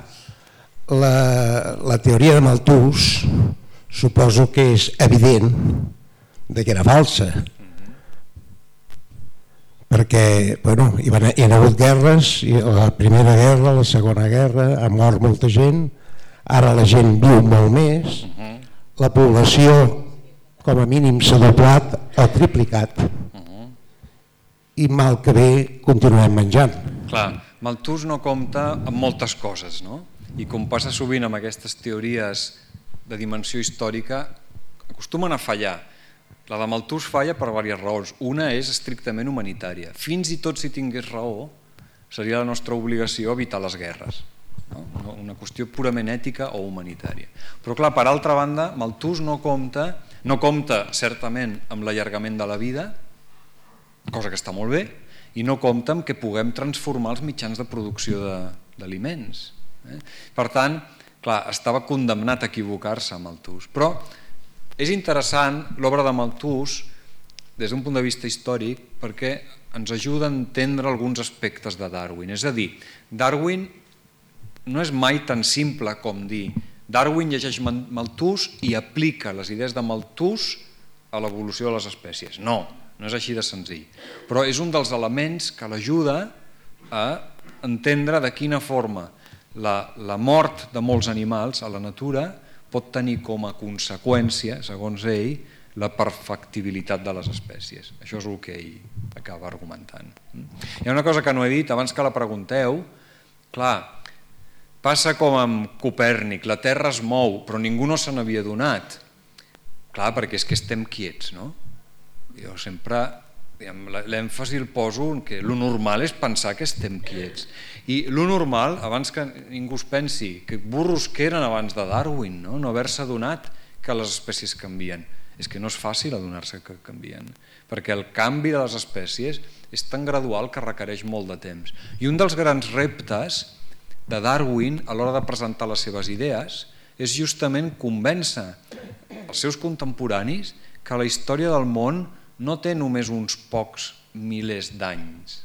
la, la teoria de Malthus, suposo que és evident de que era falsa, perquè bueno, hi, van, hi ha hagut guerres, la primera guerra, la segona guerra, ha mort molta gent, ara la gent viu molt més, la població com a mínim s'ha doblat o triplicat, i mal que bé continuem menjant. Clar, Malthus no compta amb moltes coses, no? I com passa sovint amb aquestes teories de dimensió històrica, acostumen a fallar. La de Malthus falla per diverses raons. Una és estrictament humanitària. Fins i tot si tingués raó, seria la nostra obligació evitar les guerres. No? Una qüestió purament ètica o humanitària. Però clar, per altra banda, Malthus no compta, no compta certament amb l'allargament de la vida, cosa que està molt bé, i no compta amb que puguem transformar els mitjans de producció d'aliments. Eh? Per tant, clar, estava condemnat a equivocar-se Malthus. Però és interessant l'obra de Malthus des d'un punt de vista històric perquè ens ajuda a entendre alguns aspectes de Darwin. És a dir, Darwin no és mai tan simple com dir Darwin llegeix Malthus i aplica les idees de Malthus a l'evolució de les espècies. No, no és així de senzill. Però és un dels elements que l'ajuda a entendre de quina forma la, la mort de molts animals a la natura pot tenir com a conseqüència, segons ell, la perfectibilitat de les espècies. Això és el que ell acaba argumentant. Hi ha una cosa que no he dit, abans que la pregunteu, clar, passa com amb Copèrnic, la Terra es mou, però ningú no se n'havia donat. Clar, perquè és que estem quiets, no? Jo sempre, l'èmfasi el poso en que lo normal és pensar que estem quiets. I lo normal, abans que ningú es pensi, que burros que eren abans de Darwin, no, no haver-se adonat que les espècies canvien. És que no és fàcil adonar-se que canvien, perquè el canvi de les espècies és tan gradual que requereix molt de temps. I un dels grans reptes de Darwin a l'hora de presentar les seves idees és justament convèncer els seus contemporanis que la història del món no té només uns pocs milers d'anys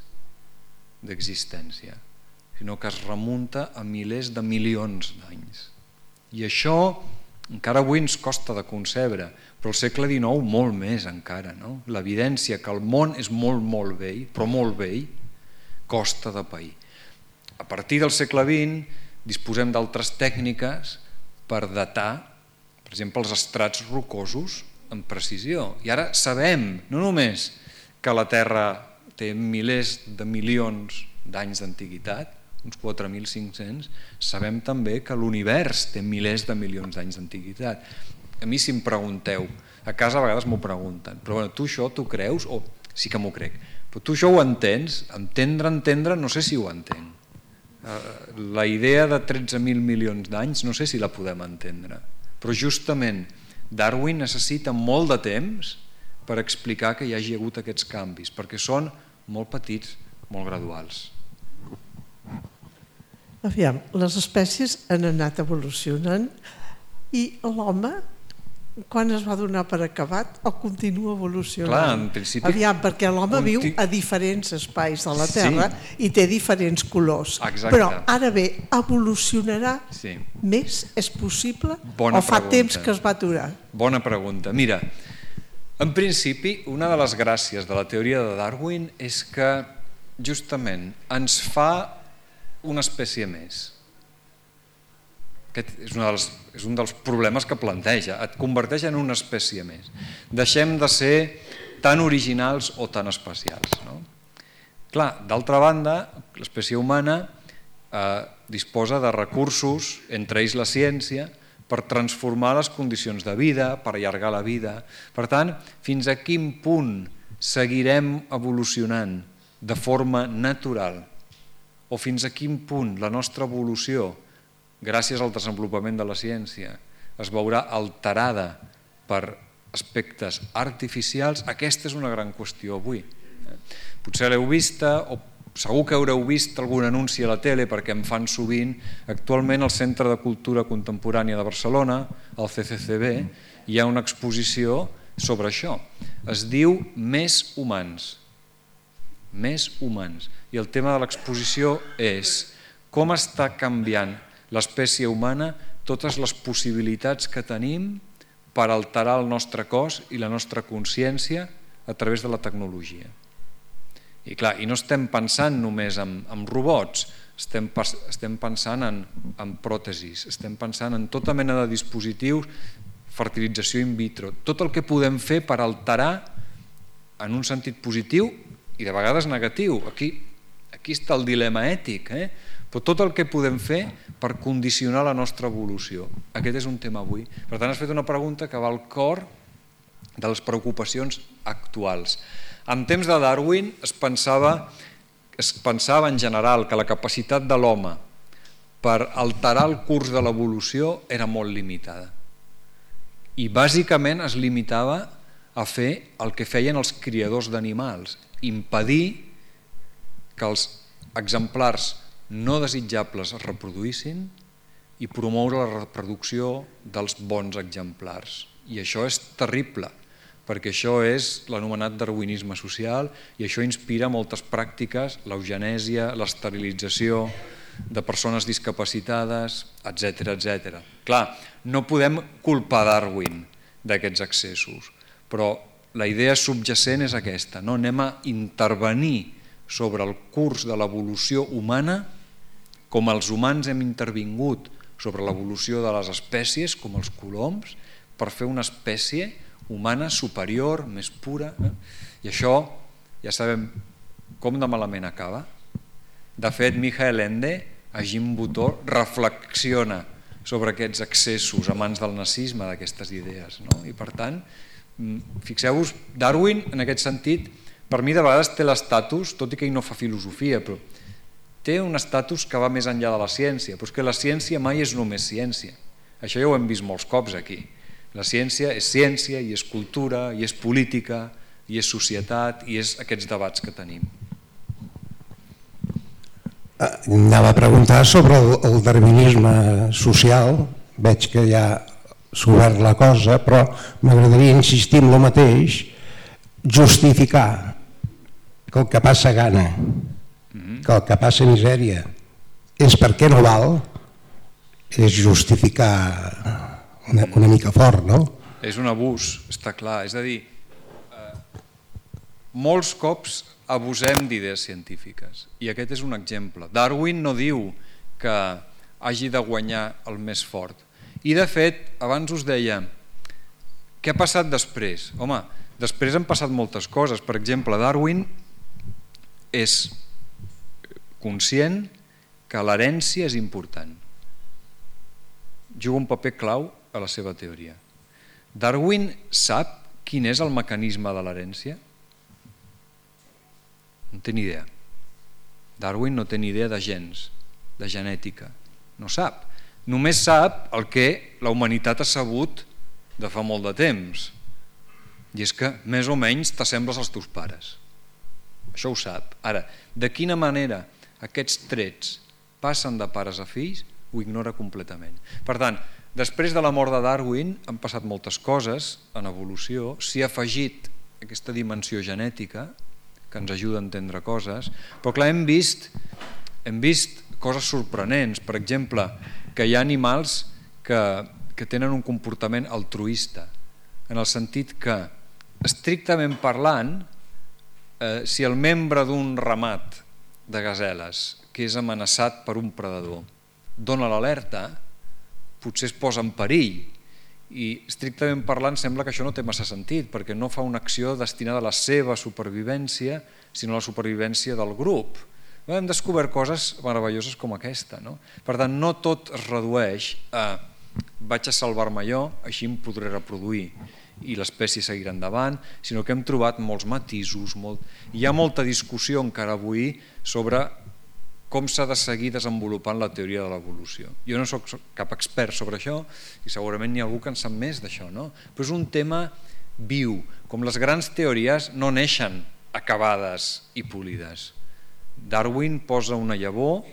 d'existència, sinó que es remunta a milers de milions d'anys. I això encara avui ens costa de concebre, però al segle dinou molt més encara. No? L'evidència que el món és molt, molt vell, però molt vell, costa de pair. A partir del segle vint disposem d'altres tècniques per datar, per exemple, els estrats rocosos amb precisió. I ara sabem, no només que la Terra té milers de milions d'anys d'antiguitat, uns quatre mil cinc-cents, sabem també que l'univers té milers de milions d'anys d'antiguitat. A mi si em pregunteu, a casa a vegades m'ho pregunten, però bueno, tu això t'ho creus? O sí que m'ho crec. Però tu això ho entens? Entendre, entendre, no sé si ho entenc. La idea de tretze mil milions d'anys no sé si la podem entendre. Però justament Darwin necessita molt de temps per explicar que hi hagi hagut aquests canvis, perquè són molt petits, molt graduals. Aviam, les espècies han anat evolucionant i l'home, quan es va donar per acabat, o continua evolucionant? Clar, en principi... Aviam, perquè l'home conti... viu a diferents espais de la Terra sí. i té diferents colors. Exacte. Però ara bé, evolucionarà sí. més? És possible? Bona o fa pregunta. temps que es va aturar? Bona pregunta. Mira, en principi, una de les gràcies de la teoria de Darwin és que justament ens fa una espècie més. Aquest és, una dels, és un dels problemes que planteja, et converteix en una espècie més. Deixem de ser tan originals o tan especials. No? Clar, d'altra banda, l'espècie humana disposa de recursos, entre ells la ciència, per transformar les condicions de vida, per allargar la vida. Per tant, fins a quin punt seguirem evolucionant de forma natural o fins a quin punt la nostra evolució, gràcies al desenvolupament de la ciència, es veurà alterada per aspectes artificials, aquesta és una gran qüestió avui. Potser l'heu vista o segur que haureu vist algun anunci a la tele perquè em fan sovint. Actualment al Centre de Cultura Contemporània de Barcelona, al C C C B, hi ha una exposició sobre això. Es diu Més humans. Més humans. I el tema de l'exposició és com està canviant l'espècie humana, totes les possibilitats que tenim per alterar el nostre cos i la nostra consciència a través de la tecnologia. I clar, i no estem pensant només en, en robots, estem, estem pensant en, en pròtesis, estem pensant en tota mena de dispositius, fertilització in vitro, tot el que podem fer per alterar en un sentit positiu i de vegades negatiu. Aquí, aquí està el dilema ètic, eh? Però tot el que podem fer per condicionar la nostra evolució. Aquest és un tema avui. Per tant, has fet una pregunta que va al cor de les preocupacions actuals. En temps de Darwin es pensava, es pensava en general que la capacitat de l'home per alterar el curs de l'evolució era molt limitada. I bàsicament es limitava a fer el que feien els criadors d'animals, impedir que els exemplars no desitjables es reproduïssin i promoure la reproducció dels bons exemplars. I això és terrible, perquè això és l'anomenat darwinisme social i això inspira moltes pràctiques, l'eugenèsia, l'esterilització de persones discapacitades, etcètera, etcètera. Clar, no podem culpar Darwin d'aquests excessos, però la idea subjacent és aquesta, no? Anem a intervenir sobre el curs de l'evolució humana com els humans hem intervingut sobre l'evolució de les espècies, com els coloms, per fer una espècie humana superior, més pura. Eh? I això ja sabem com de malament acaba. De fet, Michael Ende, a Jim Buttor, reflexiona sobre aquests excessos a mans del nazisme d'aquestes idees. No? I per tant, fixeu-vos, Darwin, en aquest sentit, per mi de vegades té l'estatus, tot i que ell no fa filosofia, però té un estatus que va més enllà de la ciència, però és que la ciència mai és només ciència. Això ja ho hem vist molts cops aquí. La ciència és ciència, i és cultura, i és política, i és societat, i és aquests debats que tenim. Anava a preguntar sobre el, el darwinisme social, veig que ja s'ha obert la cosa, però m'agradaria insistir en el mateix, justificar que el que passa gana, que el que passa misèria és perquè no val, és justificar una, una mica fort, no? És un abús, està clar. És a dir, eh, molts cops abusem d'idees científiques i aquest és un exemple. Darwin no diu que hagi de guanyar el més fort. I de fet, abans us deia, què ha passat després? Home, després han passat moltes coses. Per exemple, Darwin és conscient que l'herència és important. Juga un paper clau a la seva teoria. Darwin sap quin és el mecanisme de l'herència? No té ni idea. Darwin no té ni idea de gens, de genètica. No sap. Només sap el que la humanitat ha sabut de fa molt de temps. I és que més o menys t'assembles als teus pares. Això ho sap. Ara, de quina manera aquests trets passen de pares a fills, ho ignora completament. Per tant, després de la mort de Darwin han passat moltes coses en evolució, s'hi ha afegit aquesta dimensió genètica que ens ajuda a entendre coses, però clar, hem vist, hem vist coses sorprenents, per exemple, que hi ha animals que, que tenen un comportament altruista, en el sentit que, estrictament parlant, eh, si el membre d'un ramat de gaseles que és amenaçat per un predador dona l'alerta, potser es posa en perill i estrictament parlant sembla que això no té massa sentit perquè no fa una acció destinada a la seva supervivència sinó a la supervivència del grup. hem descobert coses meravelloses com aquesta. No? Per tant, no tot es redueix a vaig a salvar-me jo, així em podré reproduir i l'espècie seguirà endavant, sinó que hem trobat molts matisos, molt... hi ha molta discussió encara avui sobre com s'ha de seguir desenvolupant la teoria de l'evolució. Jo no soc cap expert sobre això i segurament n'hi ha algú que en sap més d'això, no? Però és un tema viu, com les grans teories no neixen acabades i polides. Darwin posa una llavor,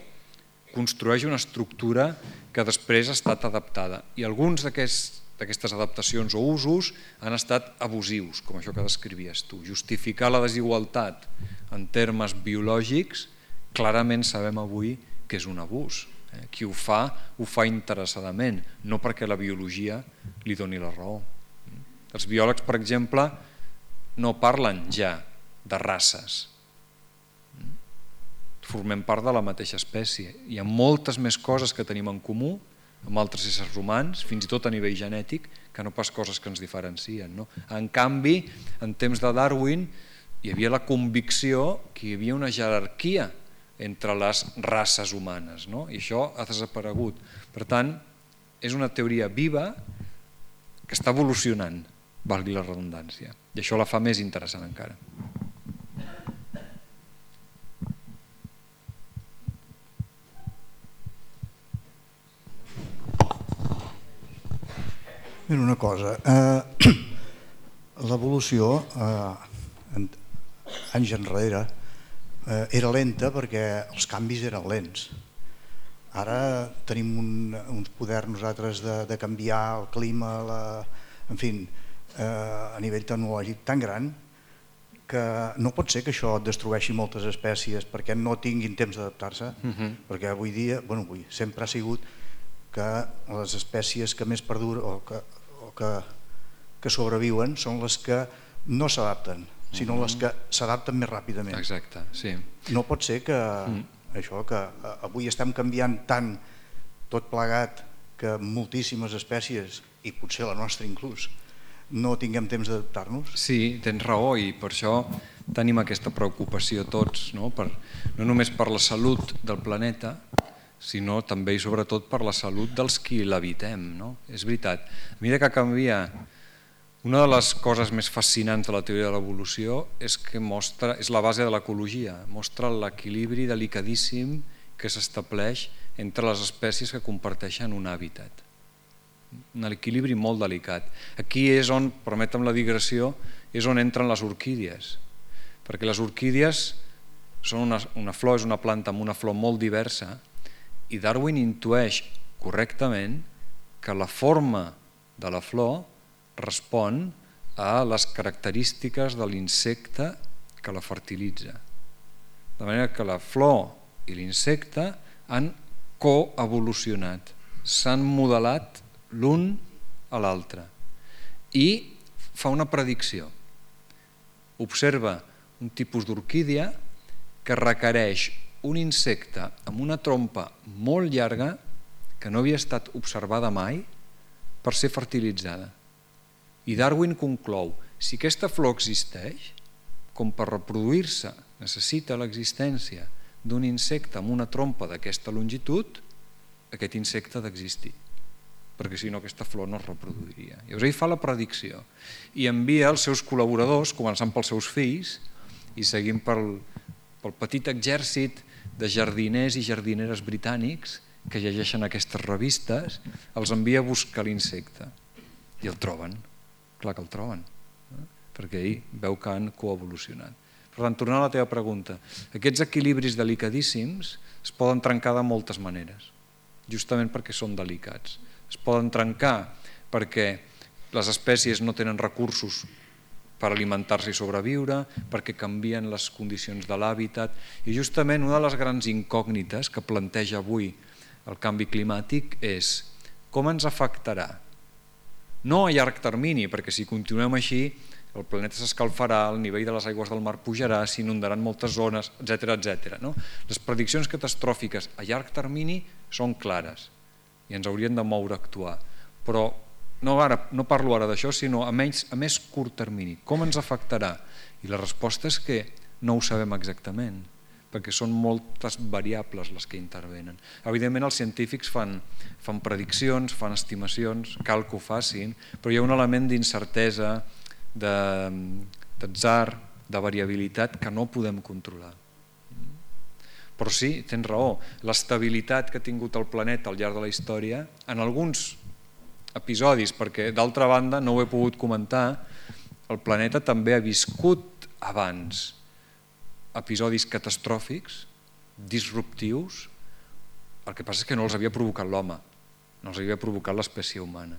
construeix una estructura que després ha estat adaptada i alguns d'aquestes adaptacions o usos han estat abusius, com això que descrivies tu. Justificar la desigualtat en termes biològics clarament sabem avui que és un abús. Qui ho fa, ho fa interessadament, no perquè la biologia li doni la raó. Els biòlegs, per exemple, no parlen ja de races. Formem part de la mateixa espècie. Hi ha moltes més coses que tenim en comú amb altres éssers humans, fins i tot a nivell genètic, que no pas coses que ens diferencien. No? En canvi, en temps de Darwin, hi havia la convicció que hi havia una jerarquia entre les races humanes, no? I això ha desaparegut. Per tant, és una teoria viva que està evolucionant, valgui la redundància, i això la fa més interessant encara. Mira una cosa, eh, l'evolució eh, anys enrere eh, era lenta perquè els canvis eren lents. Ara tenim un, uns poders nosaltres de, de canviar el clima, la, en fi, eh, a nivell tecnològic tan gran que no pot ser que això destrueixi moltes espècies perquè no tinguin temps d'adaptar-se, uh-huh. perquè avui dia, bueno, avui, sempre ha sigut que les espècies que més perduren o que, o que, que sobreviuen són les que no s'adapten, sinó uh-huh. les que s'adapten més ràpidament. Exacte, sí. No pot ser que uh-huh. això que avui estem canviant tant tot plegat que moltíssimes espècies, i potser la nostra inclús, no tinguem temps d'adaptar-nos. Sí, tens raó i per això tenim aquesta preocupació tots, no? Per, no només per la salut del planeta, sinó també i sobretot per la salut dels qui l'habitem. No? És veritat, a mesura que canvia, una de les coses més fascinants de la teoria de l'evolució és que mostra, és la base de l'ecologia, mostra l'equilibri delicadíssim que s'estableix entre les espècies que comparteixen un hàbitat. Un equilibri molt delicat. Aquí és on, permetem la digressió, és on entren les orquídies, perquè les orquídies són una, una flor, és una planta amb una flor molt diversa, i Darwin intueix correctament que la forma de la flor respon a les característiques de l'insecte que la fertilitza. De manera que la flor i l'insecte han coevolucionat, s'han modelat l'un a l'altre i fa una predicció. Observa un tipus d'orquídia que requereix un insecte amb una trompa molt llarga que no havia estat observada mai per ser fertilitzada. I Darwin conclou, si aquesta flor existeix, com per reproduir-se necessita l'existència d'un insecte amb una trompa d'aquesta longitud, aquest insecte ha d'existir, perquè si no aquesta flor no es reproduiria. Llavors ell fa la predicció i envia els seus col·laboradors, començant pels seus fills i seguint pel, pel petit exèrcit de jardiners i jardineres britànics que llegeixen aquestes revistes, els envia a buscar l'insecte i el troben, clar que el troben, eh? perquè ell veu que han coevolucionat. Per tant, tornant a la teva pregunta, aquests equilibris delicadíssims es poden trencar de moltes maneres, justament perquè són delicats. Es poden trencar perquè les espècies no tenen recursos per alimentar-se i sobreviure, perquè canvien les condicions de l'hàbitat, i justament una de les grans incògnites que planteja avui el canvi climàtic és com ens afectarà. No a llarg termini, perquè si continuem així el planeta s'escalfarà, el nivell de les aigües del mar pujarà, s'inundaran moltes zones, etcètera, etcètera. No? Les prediccions catastròfiques a llarg termini són clares i ens haurien de moure a actuar, però no, ara, no parlo ara d'això, sinó a, menys, a més curt termini. Com ens afectarà? I la resposta és que no ho sabem exactament, perquè són moltes variables les que intervenen. Evidentment els científics fan, fan prediccions, fan estimacions, cal que ho facin, però hi ha un element d'incertesa, d'atzar, de variabilitat que no podem controlar. Però sí, tens raó, l'estabilitat que ha tingut el planeta al llarg de la història, en alguns episodis, perquè d'altra banda no ho he pogut comentar, el planeta també ha viscut abans episodis catastròfics, disruptius, el que passa és que no els havia provocat l'home, no els havia provocat l'espècie humana,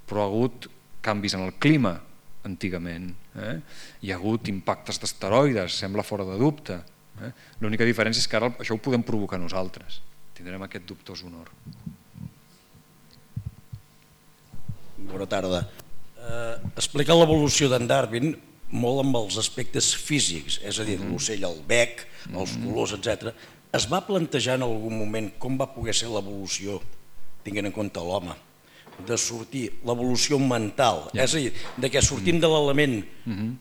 però ha hagut canvis en el clima antigament, eh? Hi ha hagut impactes d'asteroides, sembla fora de dubte, eh? L'única diferència és que ara això ho podem provocar nosaltres, tindrem aquest dubtós honor. Bona tarda. Eh, explica l'evolució d'en Darwin molt amb els aspectes físics, és a dir, l'ocell, el bec, els colors, etcètera. Es va plantejar en algun moment com va poder ser l'evolució, tinguent en compte l'home, de sortir l'evolució mental, és a dir, de que sortim de l'element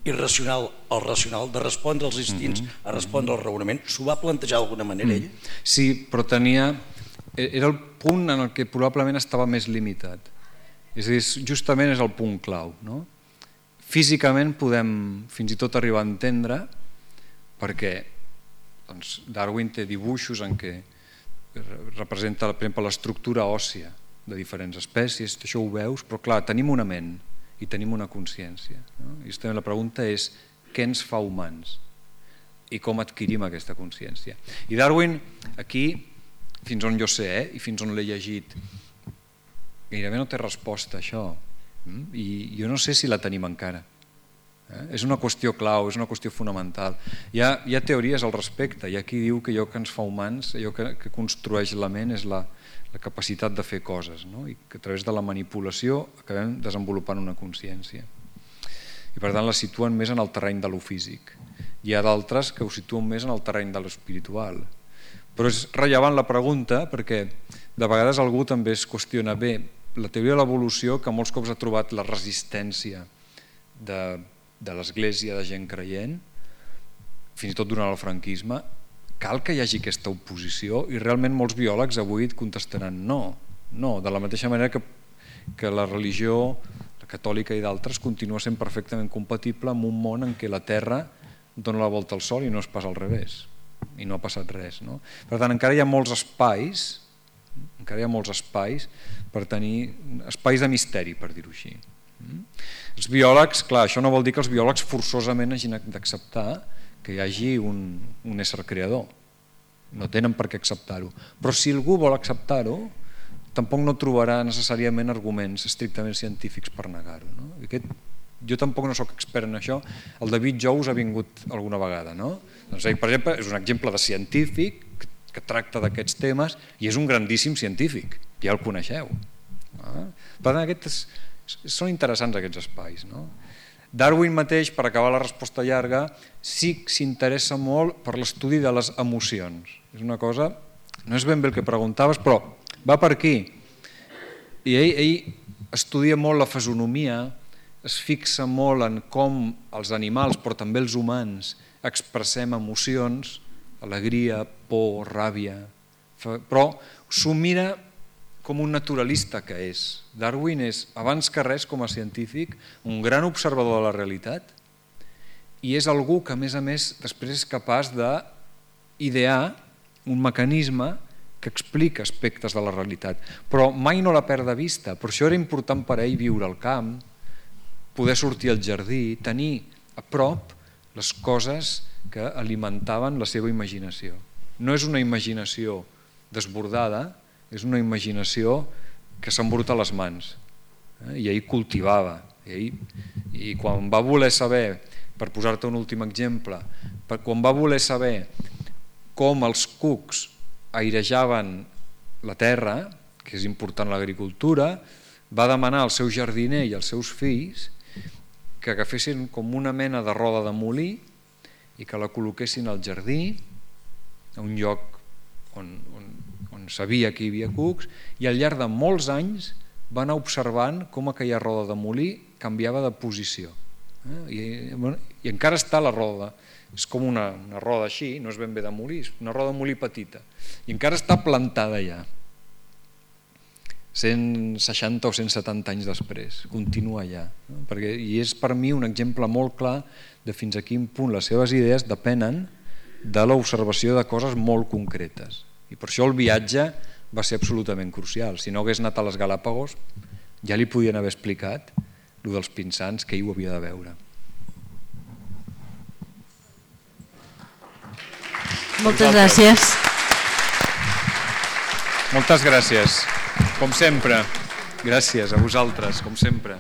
irracional al racional, de respondre als instints a respondre al raonament, s'ho va plantejar d'alguna manera ell? Sí, però tenia... Era el punt en el que probablement estava més limitat. És a dir, justament és el punt clau. No? Físicament podem fins i tot arribar a entendre perquè doncs, Darwin té dibuixos en què representa per exemple l'estructura òssia de diferents espècies, això ho veus, però clar, tenim una ment i tenim una consciència. No? I justament la pregunta és què ens fa humans i com adquirim aquesta consciència. I Darwin, aquí, fins on jo sé, eh, i fins on l'he llegit, gairebé no té resposta a això, i jo no sé si la tenim encara. És una qüestió clau, és una qüestió fonamental. Hi ha, hi ha teories al respecte, hi ha qui diu que allò que ens fa humans, allò que, que construeix la ment és la, la capacitat de fer coses, no? I que a través de la manipulació acabem desenvolupant una consciència. I per tant la situen més en el terreny de lo físic. Hi ha d'altres que ho situen més en el terreny de l'espiritual. Però és rellevant la pregunta perquè de vegades algú també es qüestiona bé la teoria de l'evolució, que molts cops ha trobat la resistència de, de l'Església, de gent creient, fins i tot durant el franquisme. Cal que hi hagi aquesta oposició i realment molts biòlegs avui et contestaran no, no, de la mateixa manera que, que la religió, la catòlica i d'altres, continua sent perfectament compatible amb un món en què la Terra dona la volta al Sol i no és pas al revés, i no ha passat res. No? Per tant, encara hi ha molts espais, encara hi ha molts espais per tenir espais de misteri, per dir-ho així. Els biòlegs, clar, això no vol dir que els biòlegs forçosament hagin d'acceptar que hi hagi un, un ésser creador. No tenen per què acceptar-ho. Però si algú vol acceptar-ho, tampoc no trobarà necessàriament arguments estrictament científics per negar-ho. No? Aquest, jo tampoc no sóc expert en això. El David Jous ha vingut alguna vegada. No? Doncs ell, per exemple, és un exemple de científic que, que tracta d'aquests temes i és un grandíssim científic. Ja el coneixeu. No? Per tant, aquests, són interessants aquests espais. No? Darwin mateix, per acabar la resposta llarga, sí que s'interessa molt per l'estudi de les emocions. És una cosa, no és ben bé el que preguntaves, però va per aquí. I ell, ell estudia molt la fisonomia, es fixa molt en com els animals, però també els humans, expressem emocions, alegria, por, ràbia, però s'ho mira com un naturalista que és. Darwin és, abans que res, com a científic, un gran observador de la realitat i és algú que, a més a més, després és capaç d'idear un mecanisme que explica aspectes de la realitat, però mai no la perd de vista. Per això era important per ell viure al camp, poder sortir al jardí, tenir a prop les coses que alimentaven la seva imaginació. No és una imaginació desbordada, és una imaginació que s'embruta a les mans. I ell cultivava. I, i quan va voler saber, per posar-te un últim exemple, quan va voler saber com els cucs airejaven la terra, que és important l'agricultura, va demanar al seu jardiner i als seus fills que agafessin com una mena de roda de molí i que la col·loquessin al jardí, a un lloc on, on, on sabia que hi havia cucs, i al llarg de molts anys va anar observant com aquella roda de molí canviava de posició. I, bueno, i encara està la roda. És com una, una roda així, no és ben bé de molí, és una roda de molí petita. I encara està plantada allà. cent seixanta o cent setanta anys després, continua allà. No? Perquè, I és per mi un exemple molt clar de fins a quin punt les seves idees depenen de l'observació de coses molt concretes. I per això el viatge va ser absolutament crucial. Si no hagués anat a les Galàpagos, ja li podien haver explicat el dels pinsans que ell ho havia de veure. Moltes gràcies. Moltes gràcies, com sempre. Gràcies a vosaltres, com sempre.